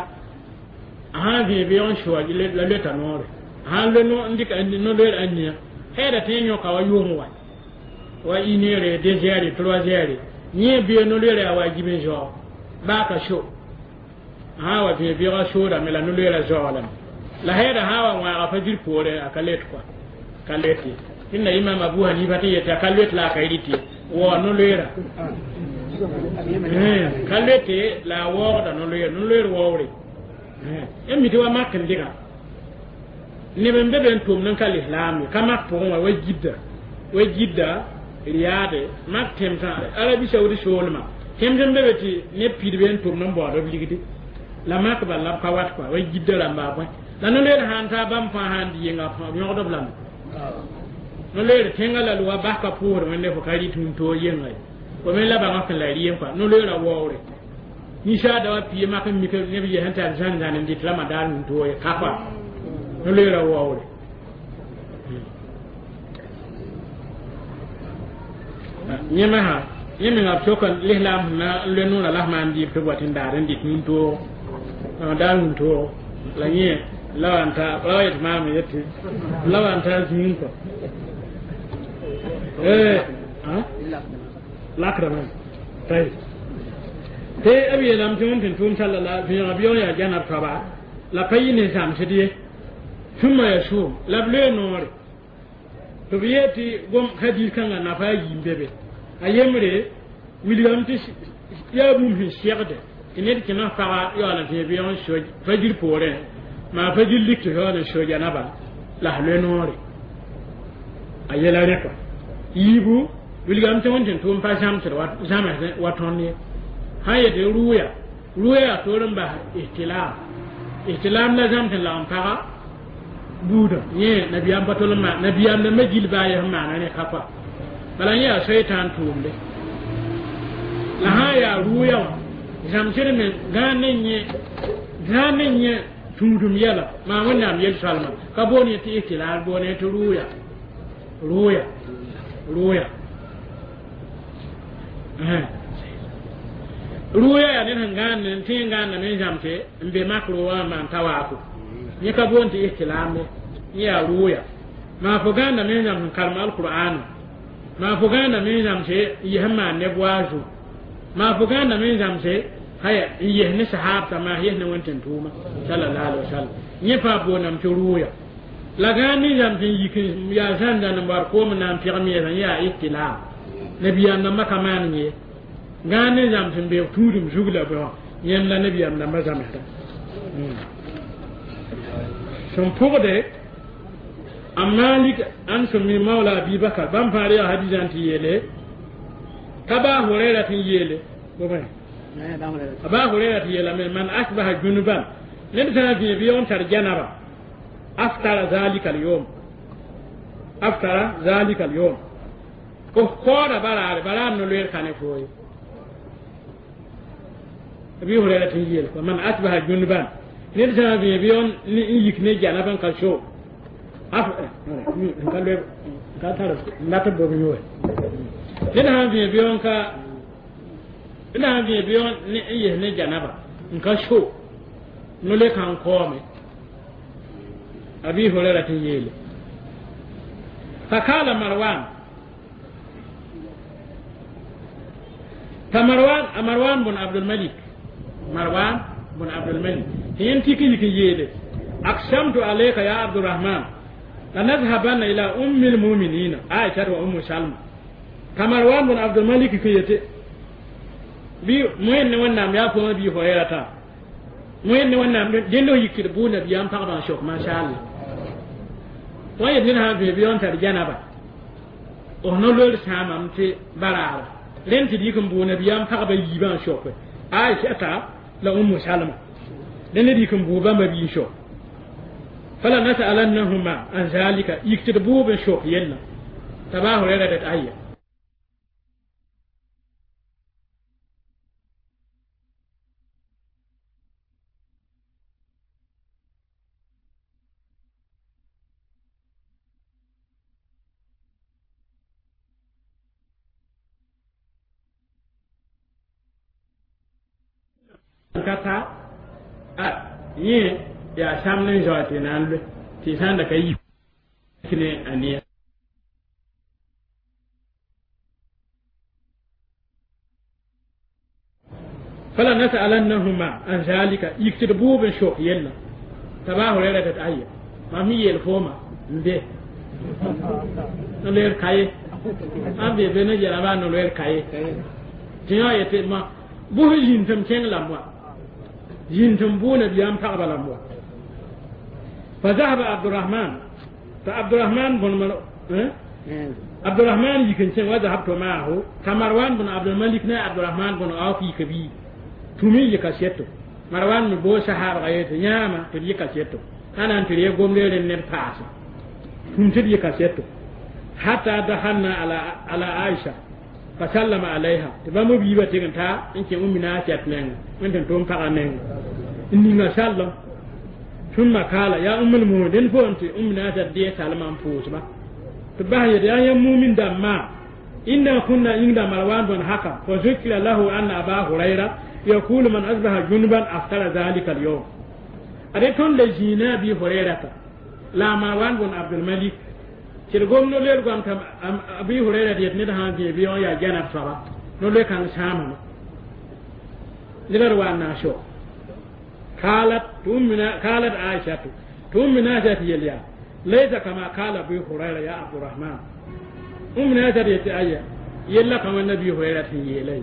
S1: a sã n vẽe beoog n sʋa la loeta noore a sã n lo n dɩk no-loeer a nia hɛɛda tɩ yõka wa yʋʋm wa wa une heure deux heures trois heures yẽ bee no-loeera yaa wa gib n zaoog baa ka so sã wa vẽ bɩga soodame la no-loeera zaoolame la hɛɛda sã wa wãaga fajir poorẽ a ka let kɔa ka let ye tɩ na imam Abu Hanifa tɩ yetɩ a ka let la a ka rɩt ye waoog no-loeera ka lete la a waoogda no-loeer no-loeer waoore n mi tɩ wa mak n dɩga neb n be be n tʋmd n ka lislaam ye ka mak pʋgẽ wã wa Jidda wa Jidda Riyaade mak tẽmsã Arabi Saoudi soolmã tẽms n be be tɩ neb pidbe n tʋmd n baood b ligdi la mak bal la b ka wat kɔa wa Jidda rãmba bõe la no-loeer sãn taa bãmb fãa sãn di yenga b yõgd b lame no-loeer tẽngã la wa bas ka pʋʋsd wẽnde fo ka rɩt tũud-toog yenga ye fo me la bãngã sẽn la r yem kɔa no-loeerã waoore ninsaada wa pie mak n mik neb yɛs n tar zãn-zãn n dɩt ramadaar tũud-toog ye ka kɔa no-loeerã waoore yẽ me sã yẽ menga b sok lislaam sẽn na n loe noorã la f maan dɩɩb tɩ b wa tɩ n daar n dɩt tũud-toog daar tũud-toog la yẽ la wa n ta la wa yet maam yetɩ la wa n taa zĩig kɔ lakdame tɩ b yeelame tɩ wẽnd tɩ tʋʋm sala vẽega bɩ yaa janab soaba la pa yɩ ne zãmsd ye sũma ya sʋʋm la b loe noore tɩ b yee tɩ gom hadis kãngã nafa a yiim be be a yembre wilgame tɩ yaa bũmb sẽn segde tɩ ned kẽna paga yaool n tẽ beoog n so fajir poorẽ maa fajir lik tɩ yaool n so janaba la f loe noore a yɛla rẽ kɔa yiibu wilgame tɩ wẽnd tɩ tʋʋm pa zãmsd zãms wa tõnd ye sã n yetɩ rʋʋya rʋʋya yaa toor n bas ihtilaam ihtilaam la zãms n lagem paga buudã yẽ nabiyaam pa tol n maan nabiyaam rãmbã gill baa yaa sẽn maana rẽ ka kɔa bala yẽ yaa soitan tʋʋmde la sã n yaa rʋʋya wã zãmsd me gãag ne yẽ gãag ne yẽ tũudum yɛla maa wẽnnaam yel-soalma ka boon yẽ tɩ ihtilaal boon yẽ tɩ rʋʋya rʋʋya rʋʋya rʋʋya yaa ned sẽn gãand n tẽ n gãandame n zãmse n be mak rʋʋga n maan tawaafo yẽ ka boon tɩ ihtilaam ye yẽ yaa rʋʋya maa fo gãandame n zãms n karem alqur'ana maa fo gãandame n zãmse n yes n maan neb waazu maa fo gãandame n zãmse haya n yes ne sahaabta maa yes ne wẽn tɩ n tʋʋma sallallahu alaihi wasallam yẽ fãa booname tɩ rʋʋya la gãand ne zãms n yik yaa zãn-zãn n bar koom n na n pɛgm yɛsã yẽ yaa ihtilaam nabiyaam rãmbã ka maan ye gãand ne zãms n beoog tũudum zug la bõe wã yẽm la nabiyaam rãmbã zãmsda sẽn pʋgde a Malik an sẽn mi maoola Abi Bakar bãmb fãa yaa hadisã tɩ yeele ka Baa Hurɛra tɩ n yeele a Baa Hurɛra tɩ yeelame man asbaha junuban ned sã n vẽ bɩ n tar janaba aftara zalika alyawm aftara zalika alyawm fo koora baraare baraar no-loeer ka ne foo ye Abi Hurɛra tɩ n yeel man asbaha junuban ned sã n vẽ bɩ n yik ne janab n ka so af n ka loe n ka tar n dat b bob yʋʋre ned sã n vẽ bɩ n ka ned sã n vẽ bɩ n yes ne janaba n ka so no-le kan kaoome Abi Hurɛra tɩ n yeele fakala Marwan ta Marwan a Marwan bun Abdulmalik Marwan bun Abdulmalik tɩ yẽnd tik n yik n yeele aksamtu alayka ya Abdurahman lanadhabanna ila ummi lmuminina Aisha wa Ummu Salma ka Marwan bun Abdulmalik kɩ yete bɩ moẽnd ne wẽnnaam yaa pʋgẽ Abi Hurɛra tã moẽnd ne wẽnnaam dẽnd f yik tɩ d bʋʋ nabiyaam pagba n sok mashaalla wã yet ned sã n vẽ bɩ n tar janaba f no-loeer sãamame tɩ baraara rẽnd tɩ d yik n bʋʋ nabiyaam pagba yiibã n soke Aishata la Ummu Salma dẽnd d yik n bʋʋ bãmba bi n sok fala nasalannahuma an zalika yik tɩ d bʋʋb n sok yella t'a Baa Hurɛra dat aya ka ta a yẽ yaa sãmb n zao tɩ na n loe tɩ sã n da ka yik ne a neer fala nasalannahuma an zalika yik tɩ d buub n sok yella t'a baa hurɛra tɩ aya mam sẽn yeel fooma n be no-loeer kaye ãn be be ne yɛla baa no-loeer kaye tɩ yã yetɩ ma bʋs zĩnd tɩ m kẽng lame wa zĩnd tɩ m bʋʋ nabiyaam pagba lame wa فذهب عبد الرحمن فعبد الرحمن بن مر... عبد الرحمن يكن سن وذهبت معه كمروان بن عبد الملك نا عبد الرحمن بن عوف يكبي تمي يكاسيتو مروان بو صحابه غيت نياما تري يكاسيتو انا انت ري غوملي نير باس تم تري يكاسيتو حتى دخلنا على على عائشة فسلم عليها تبا بيبا تيغنتا انت امنا عائشة نين انت توم فا نين اني سلم ثم قال يا أم المؤمنين فأنت أمنا تدي سلمان فوسما تبه يا يا مؤمن دما إنا كنا عند مروان بن حكم فذكر له أن أبا هريرة يقول من أصبح جنبا أفطر ذلك اليوم أريتون لجينا أبي هريرة لا مروان بن عبد الملك ترغم نولير قام أبي هريرة يتندها بيبيون يا جنب صلاة نولي كان سامنا لبروا ناشو قالت تؤمنا قالت عائشة تؤمنا ذات يليا ليس كما قال أبي هريرة يا عبد الرحمن أمنا ذات يتأيى يلا كما النبي هريرة يلي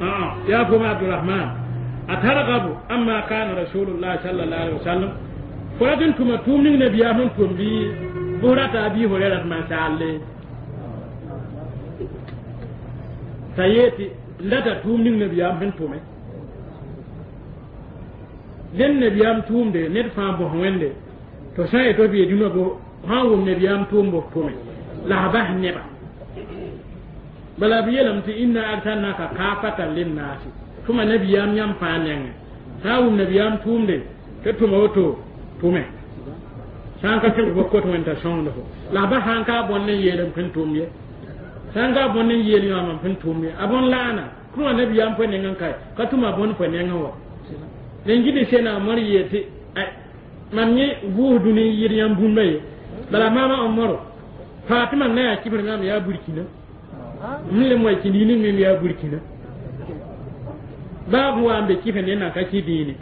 S1: آه يا أبو عبد الرحمن أترغب أما كان رسول الله صلى الله عليه وسلم فرجن كما تؤمن نبي أمن كم بي بورة أبي هريرة ما سأل سيأتي لا تؤمن نبي أمن تؤمن den nabiyam tʋʋmde ned fãa bos wẽnde tɩ sã n yetɩ b yee dũnã bo sã n wʋm nabiyam tʋʋm bos tʋme la a bas neba bala b yeelame tɩ inna arsalnaka kaafatan linnaasi tʋma nabiyam yãmb fãa nengẽ sã n wʋm nabiyam tʋʋmde tɩ tʋma woto tʋme sã n ka tɩg fo kot wẽn t'a sõngd fo la a bas sã n ka a bõnd n yeel n pẽn tʋʋm ye sã n ka a bõnd n yeel yãoam n pẽn tʋʋm ye a bõn laana tʋma nabiyam pʋ nengẽ kae ka tʋma bõnd pʋ nengẽ wa nen gidi sena mor yeti mam yẽ vʋʋs dũni n yɩd yãmb bũmba ye bala maama Omaro Fatima na yaa kibr mam yaa burkina m le moa kĩnd yĩning mem yaa burkina baa b wa n be kɩf ne nan ka kɩ dĩine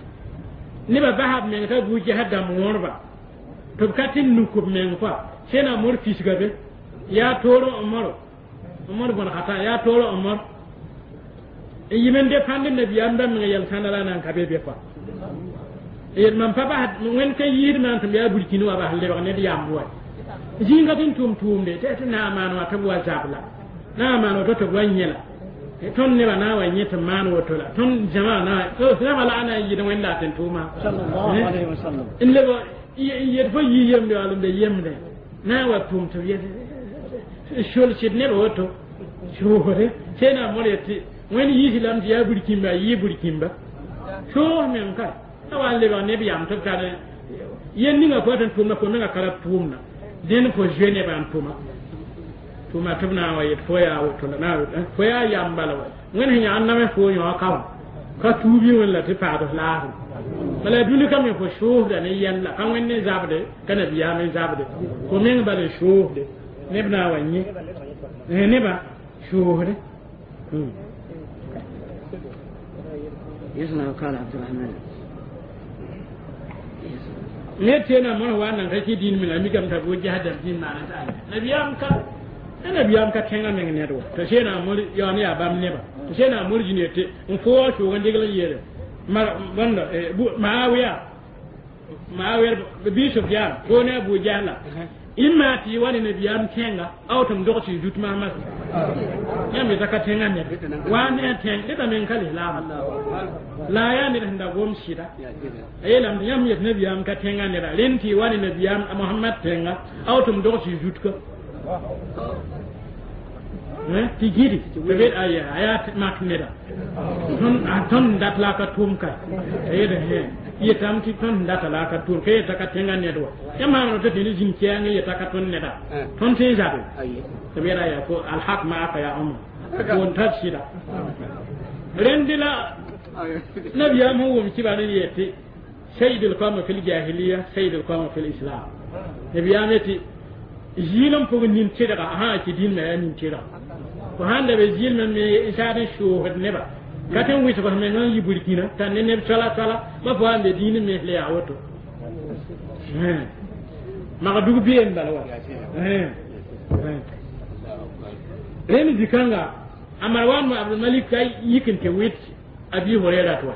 S1: nebã basa b meng t'a bu ges dãmb wõrba tɩ b ka tɩ nuk b meng fo sena mor fisga be yaa toor Omaro Omar bõn khata yaa toor Omar n yɩm n depãnd nabiyaam dãmb meng yɛl-sãnda la na n ka be be kɔa yel mam pa bas wẽnd ka yiid maan tɩ m yaa burkina wa bas lebg ned yamb wa zĩnga tɩ n tʋm tʋʋmde tɩ tɩ na n maan wa tɩ b wa zabla na n maan woto tɩ b wa yẽla tõnd nebã na n wa yẽ tɩ maan woto la tõnd zãma na zãma la a na n yɩd wẽnda tɩ n tʋʋma n leb n yet fo yɩ yemde wall n be yemde na n wa tʋʋm tɩ b yet solsd neb woto soosde sẽna mor yetɩ wẽnd yiisi lame tɩ yaa burkĩmba a yɩɩ burkĩmba soos meng ka a wa n lebg neb yam tɩ b tar yel ninga fo tɩ n tʋʋmda fo menga ka ra tʋʋmda dẽnd fo zoe nebã n tʋma tʋma tɩ b na n wa yet fo yaa woto la na fo yaa yam bala wa wẽnd sẽn yãg n name fo yõ ka wã ka tuubi wẽnd la tɩ paad f laafem bala dũni ka me fo soosda ne yɛl la ka wẽnd ne zabde ka nabiyaam n zabde fo meng bala n soosde neb na n wa yẽ nebã soosde
S2: يسمع قال عبد الرحمن
S1: ne tena mon wa nan ka ki din min ami kam ta bo jahadam din ma ta nabiyam ka nabiyam ka tenga men ne do to sena mor yo ne abam ne ba to sena mor jine te n fo sho gan degla yere ma banda maawiya maawiya bi sufyan ko ne abu jahla imma ti wani nabiyam tenga aw tum dog ti jut ma mas yãmb yeta ka tẽngã ned wa ne a tẽng deta meng ka lislaam la yaa ned sẽn da gom sɩda a yeelame tɩ yãmb yet nabiyaam ka tẽngã neda rẽnd tɩ wa ne nabiyaam a Mohamad tẽnga aw tɩ m dog tɩ zut ka tɩ gidi tɩ be aya a yaa mak neda tõnd dat la a ka tʋʋm ka a yeeda yetame tɩ tõnd data la a ka tʋʋm ka yeta ka tẽngã ned wa yãmb maam tɩ tɩ zĩnd kɛɛng yeta ka tõnd neda tõnd tɩ n zabe tɩ b yeela yaa fo alhaq maaka ya Omar won tar sɩda rẽnd la nabiyaam sẽn wʋm kɩba ne yetɩ sayyid al-qawm fi al-jahiliya sayyid al-qawm fi al-islam nabiyaam yetɩ zɩɩl n pʋgẽ nin tɩdga sã n kɩ dĩnmã yaa nin tɩdga fo sãn da be zɩɩlmã me n saad n soosd neba Ka tɩ n wɩsg f meng n yi burkina t'a ne neb soala soala ba fo wa n be dĩin mens la yaa woto magdug been bala wa rẽnd zikãnga a marwan abdulmalik ka yik n tɩ wɩt abi hurera tɩ wa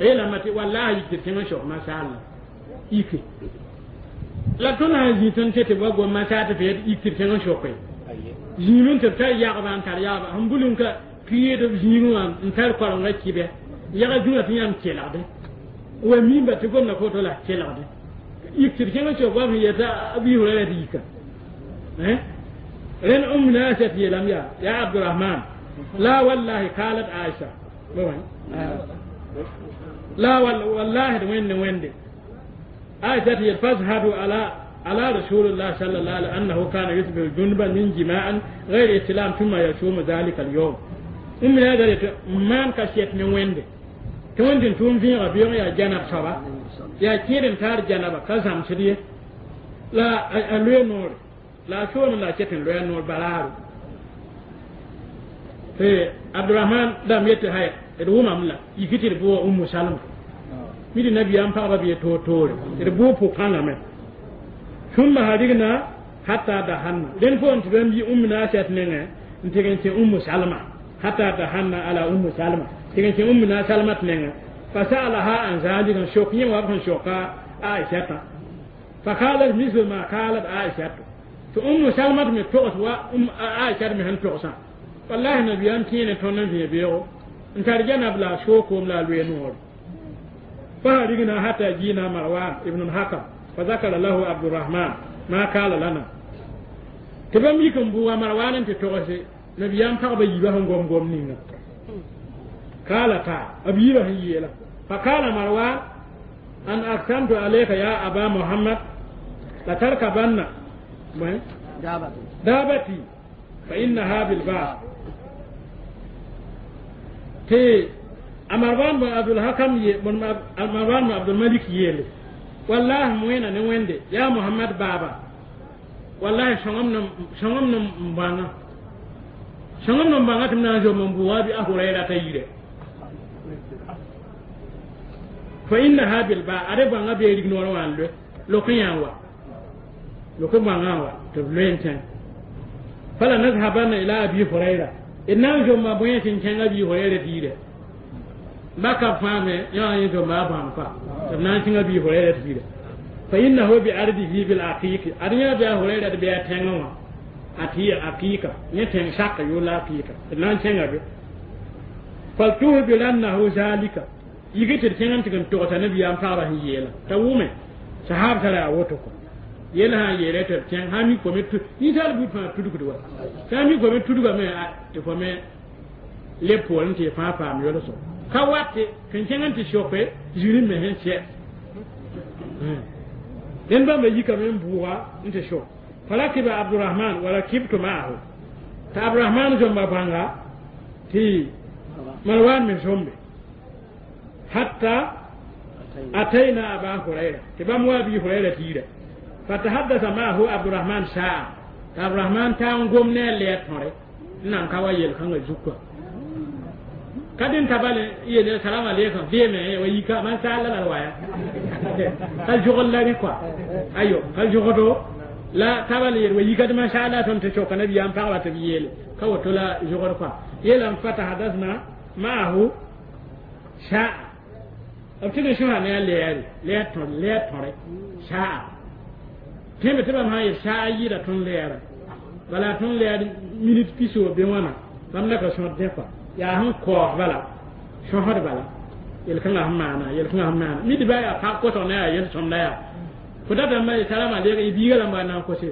S1: yeelame tɩ wallahi yik tɩ tẽng n sok masalla yike la tõnd sã n zĩ tõnd tɩ tɩ wa gom masaa tɩ f yet yik tɩ tẽng n soke zĩim n tɩ b tar yagba n tar yagba sẽn bul n ka pɩɩd b zĩigẽ wã n tar korenga kɩbɛ yaga dũnã tɩ yãmb kelgde wa mimba tɩ gomda foto la kelgde yik tɩ d kẽng n sok wa sẽn yeta abi hurera tɩ yika rẽnd um naasat yeelame yaa yaa abdurahman la wallahi qalat aisha لا والله وين وين عائشة فاشهدوا على على رسول الله صلى الله عليه وسلم أنه كان يصبح جنبا من جماع غير إسلام ثم يصوم ذلك اليوم. أم هذا مان كشيت من وين تون تون تون في ربيع يا جنب سبا يا كيرن تار جنب كزام شدي لا لوي نور لا شو لا شتن لوي نور بلارو في عبد الرحمن دام يتهاي d wʋmam la yik tɩ d bʋʋ Ummu Salma mi tɩ nabiyaam pagba bɩ toor-toore d bʋʋ pʋ-kãngame ثم harigna hatta dahanna rẽnd poorẽ tɩ bãmb yi Ummu Naasat nengẽ n tɩg n kẽ Ummu Salma hatta dahanna ala Ummu Salma tɩg n kẽ Ummu Salmat nengẽ fasalaha an zalika n sok yẽ wa b sẽn soka Aishata فقالت مثل ما قالت عائشة tɩ Ummu Salmat me togs wa Aishat me sẽn togsã wallahi nabiyaam kẽene tõnd n vẽ beoogo n tar janab la sookoom la a loe noore فهرجنا حتى جينا مروان ابن الحكم فذكر له عبد الرحمن ما قال لنا تبم يكن بوا مروان انت تغسي نبيان فقب يبا هم قوم قوم نينا قال تا أبي يبا يلا فقال مروان أن أقسمت عليك يا أبا محمد لتركبن دابتي فإنها بالباب تي Marwan bin Abdul Hakam ye Marwan bin Abdul Malik yele wallahi moena ne wende ya Muhammad baba wallahi shongam no shongam no mbanga shongam no mbanga timna jo mon buwa bi ahurayra tayire fa innaha bil ba are banga be rig no wan le lokiyan wa lokiyan wa to lenten fala nazhabanna ila abi hurayra inna jo ma boyen tin abi hurayra tire baka fame ya yi to ma ban fa to nan tinga bi hurayra tire fa innahu bi ardihi bil aqiq arnya bi hurayra bi tenga ati aqiqa ne ten shaka yola aqiqa nan tinga bi fal tuhu bi annahu zalika yigite tinga tinga to ta nabi am fara yela ta wume sahab tara woto ko yela ha yele to ten ha mi ko metu ni tal bu fa tudu ko wa ta mi ko metu tudu me te ko me le pol te fa fa mi yolo so ka wate kan kẽng tɩ soke zĩri me sẽn sɛ rẽnd bãmba yikame n bʋʋga n tɩ sok farakiba abdurahman wa rakibtu maahu tɩ abdurahman zõmba bãnga tɩ marwan me zõmbe hatta atayna aba hurayra tɩ bãmb wa abi hurayra tɩ yira fatahaddasa maahu abdurahman saa tɩ abdurahman taa n gom ne a lɛɛ tõre n nan ka wa yel-kãngã zukã kadin tabale yele salam alaykum veme wa yika man sala la waya kal jogol la quoi ayo kal jogodo la tabale yel wa yika man sala ton te choka nabi am parla te yele ka woto la jogol quoi yelam fata hadathna ma'ahu sha abtine shuha ne le le ton le tore sha teme tebe ma ye sha yira ton le ara wala ton le minute piso be wana bam la ka so de quoi yaa sẽn kaoog bala sõsd bala yel-kãngã sẽn maana yel-kãngã sẽn maana mi dɩ ba yaa pag kosg ne yaa yel-sõmda yaa fo datame ma salam aleyk y biiga rãmba na n kose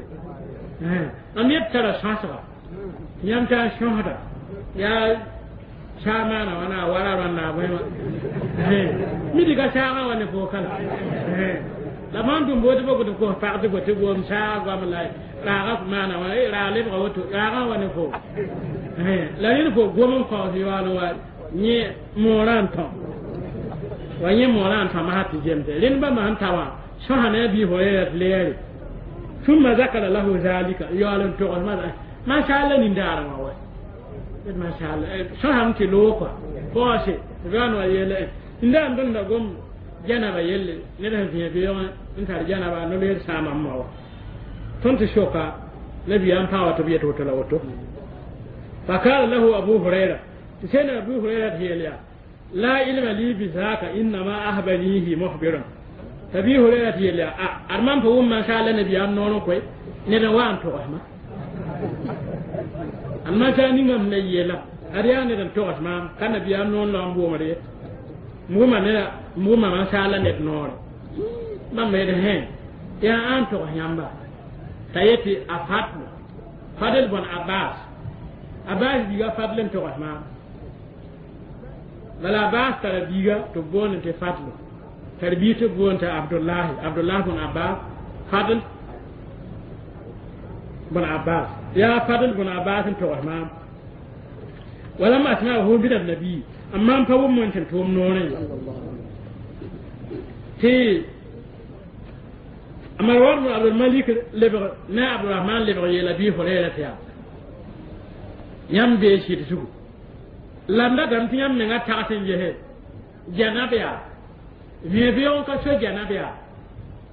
S1: am yet tara sõsga tɩ yãmb taa sõsda yaa saa maana wã na wara rãnda a bõe wã mi dɩ ka saagã wa ne fo kala la mam tʋm bootɩ boko tɩ kos pag tɩ tɩ gom saag goam la raaga maana wã raag lebga woto raagã wa ne fo la rẽnd fo gom n kaoos yaool wa yẽ moorã n tõ wa yẽ moorã n tõma tɩ zemse rẽnd bãmba sẽn ta wã sõsa ne a bii fo tɩ leere ثم ذكر له ذلك yaool n togs ma sha Allah nindaarã wã wa ma sha Allah sõsame tɩ loog kɔa Poose tɩ wa yeele n daan tõnd da gom janaba yelle ned sẽn vẽe beoogẽ n tar janaba no-loeer sãama m ma wa tõnd tɩ soka nabiyaam paa wa tɩ b yet woto la woto فقال له أبو هريرة سيدنا أبو هريرة هي لا علم لي بذاك إنما أهبنيه مخبر أبي هريرة هي أرمان فهم ما شاء الله نبي أم نونو كوي ندن وان توغما أما شاء نيغم نيلا أريا ندن توغما كان نبي أم نون لام بومري موما نلا موما ما شاء الله ند نور ما ميد هين يا أن توغ يامبا تايتي أفاتل فضل بن عباس Abbas biiga Fadl n togs maam bala Abbas tara biiga tɩ b boond tɩ Fadl tar biig tɩ b boond tɩ Abdullahi Abdullah bn Abbas Fadl bn Abbas yaa Fadl bn Abbas n togs maam ولم أسمعه من النبي أما أم فوم من تنتوم نوري تي مروان بن عبد الملك لبغ نا عبد الرحمن لبغ يلا بي هريرة يا yãmb bee sɩd zugu la m datame tɩ yãmb menga tags n gese janab yaa vẽe-beoog ka so janab yaa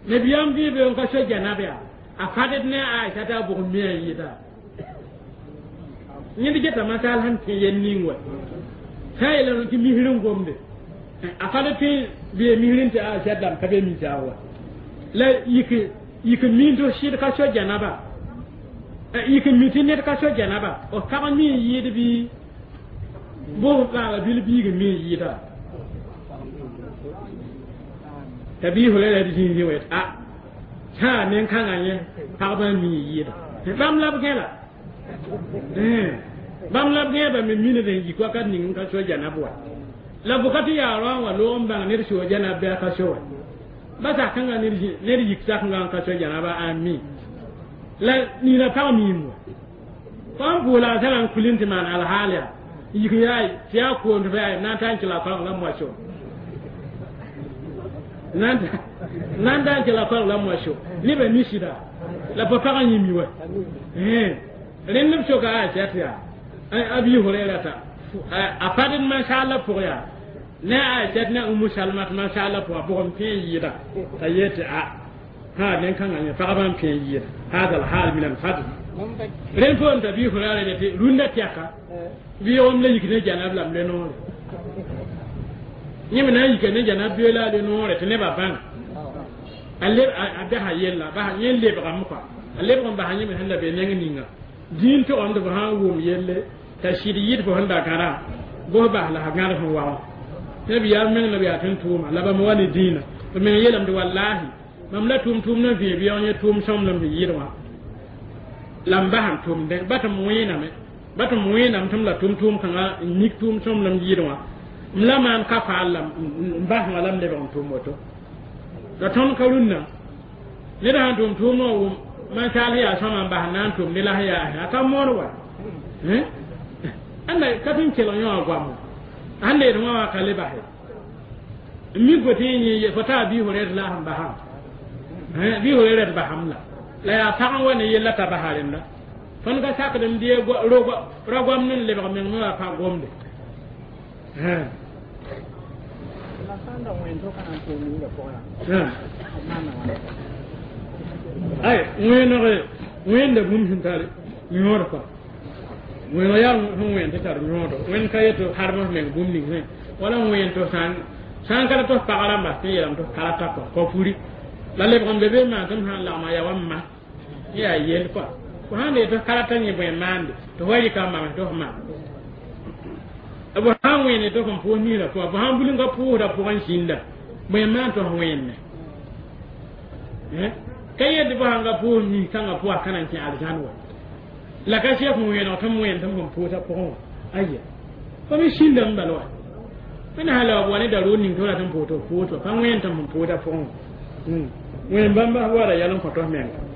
S1: nabiyaam vẽe-beoog ka so janab yaa a fadd ne a Aisha t'a bʋg me a yɩɩda yẽnd geta masaal sẽn tẽ yel ning wa sã n yeelame tɩ misr n gomde a fadd tɩ bee misr tɩ Aisha dãmb ka be misaag wa la yik yik min tɩ sɩd ka so janaba yik mi tɩ ned ka so janaba f pag mi n yɩɩd bɩ bʋs bãaga bil biig mi n yɩɩda t'a bii Hurayra tɩ zĩig wet a sã nen-kãngã yẽ pagba mi n yɩɩda bãmb la b gẽla bãmb la b gẽeba me mined n yik wakat ning n ka so janab wa la bʋka tɩ yaa roã wã loog n bãng ned soo janab bɩ a ka so wa ba sak-kãngã ned yik sak-kãngã n ka so janaba a mi la nina pag miim wa fãa pʋʋla a sã n kulin tɩ maan alhaal yaa yik yaa tɩ yaa koond fa yaa na n ta n kɩla koalg la moaso na n ta n kɩla koalg la moaso nebã mi sɩda la pa pag n yẽ mi wa rẽnd b soka a tɩ yaa Abi Hurayra ta a fadd masaala pʋg yaa ne a Aisha ne Umu Salma tɩ masaala pʋga bʋg n pẽ n yɩɩda t'a yeel tɩ a ha nen-kãngã yẽ pagba n pẽ n yɩɩda هذا الحال من الفضل رين فون تبي هريرة تي روندا تياكا بيوم لا يكني جناب لام لنور يمنا يكني جناب بيلا لنور تنبا بان اللي أبها يلا بها يلي بغمقا اللي بغم بها يمن هلا بينين نينا دين تو عند بها ووم يلي تشيريت بهندا كارا بو بها لا غار هو واو نبي يا من نبي أتن توما لا بموالي دينا من يلم والله mam la tʋm tʋʋm na vẽe beoog yẽ tʋʋm sõmblem sẽn yɩɩd wã la m basam tʋmdẽ ba tɩ m wẽename ba tɩ m wẽenam tɩ m la tʋm tʋʋm kãngã n nik tʋʋm sõmblem yɩɩd wã m la maan ka faal la n bas wã la m lebg n tʋm woto la tõnd ka rũnnã ned sãn tʋm tʋʋm wã wʋm mansaal sẽn yaa sõma n bas n na n tʋm ne la sẽn yaa a ka mood wa ãnda ka tɩ n kelg yõ wã goamo sãn leed wã wã ka le base n mi fo tɩ yẽ fo taa bii fo rɛd la sẽn basã bɩ Hurayra d basam la la yaa pag n wa ne yella t'a basa rẽnda tõnd ka sakd n dee ra-goamd n lebg meng me wa pa gomde ay wẽeneg wẽnda bũmb sẽn tar yõod kɔa wẽeneg yaa sẽn wẽnd tɩ tar yõodo wẽnd ka yet harem f meng bũmb ning sẽ wala wẽnd tɩ sã n ka tɩ f pag rãmba tɩ yeelame tɩ f karata kɔa kɔ puri la lebg n be be maan tɩ m sãn lagma yaa wa m ma yaa yel kɔa fo sãn dee tɩ f karata yẽ bõe maande tɩ fo rɩka n maams tɩ f maam b sãn wẽene tɩ f n pʋʋs niirã pʋga fo sãn bulingã pʋʋsdã pʋgẽ zĩnda bõe maan tɩ f wẽenne ka yet tɩ fo sãn ka pʋʋs nis-kãngã pʋga ka na n kẽ arzãn wa la ka sɛk wẽeneg tɩ m wẽen tɩ m sẽn pʋʋsã pʋgẽ wã aya fo me sĩndame bala wa fo na sã la wa ne darood ning tɩ f rat n pʋʋs tɩ f pʋʋs wa pa wẽen tɩ m sẽn pʋʋsã pʋgẽ wã wẽn bãmba wara yɛl n kõ tɩ f menga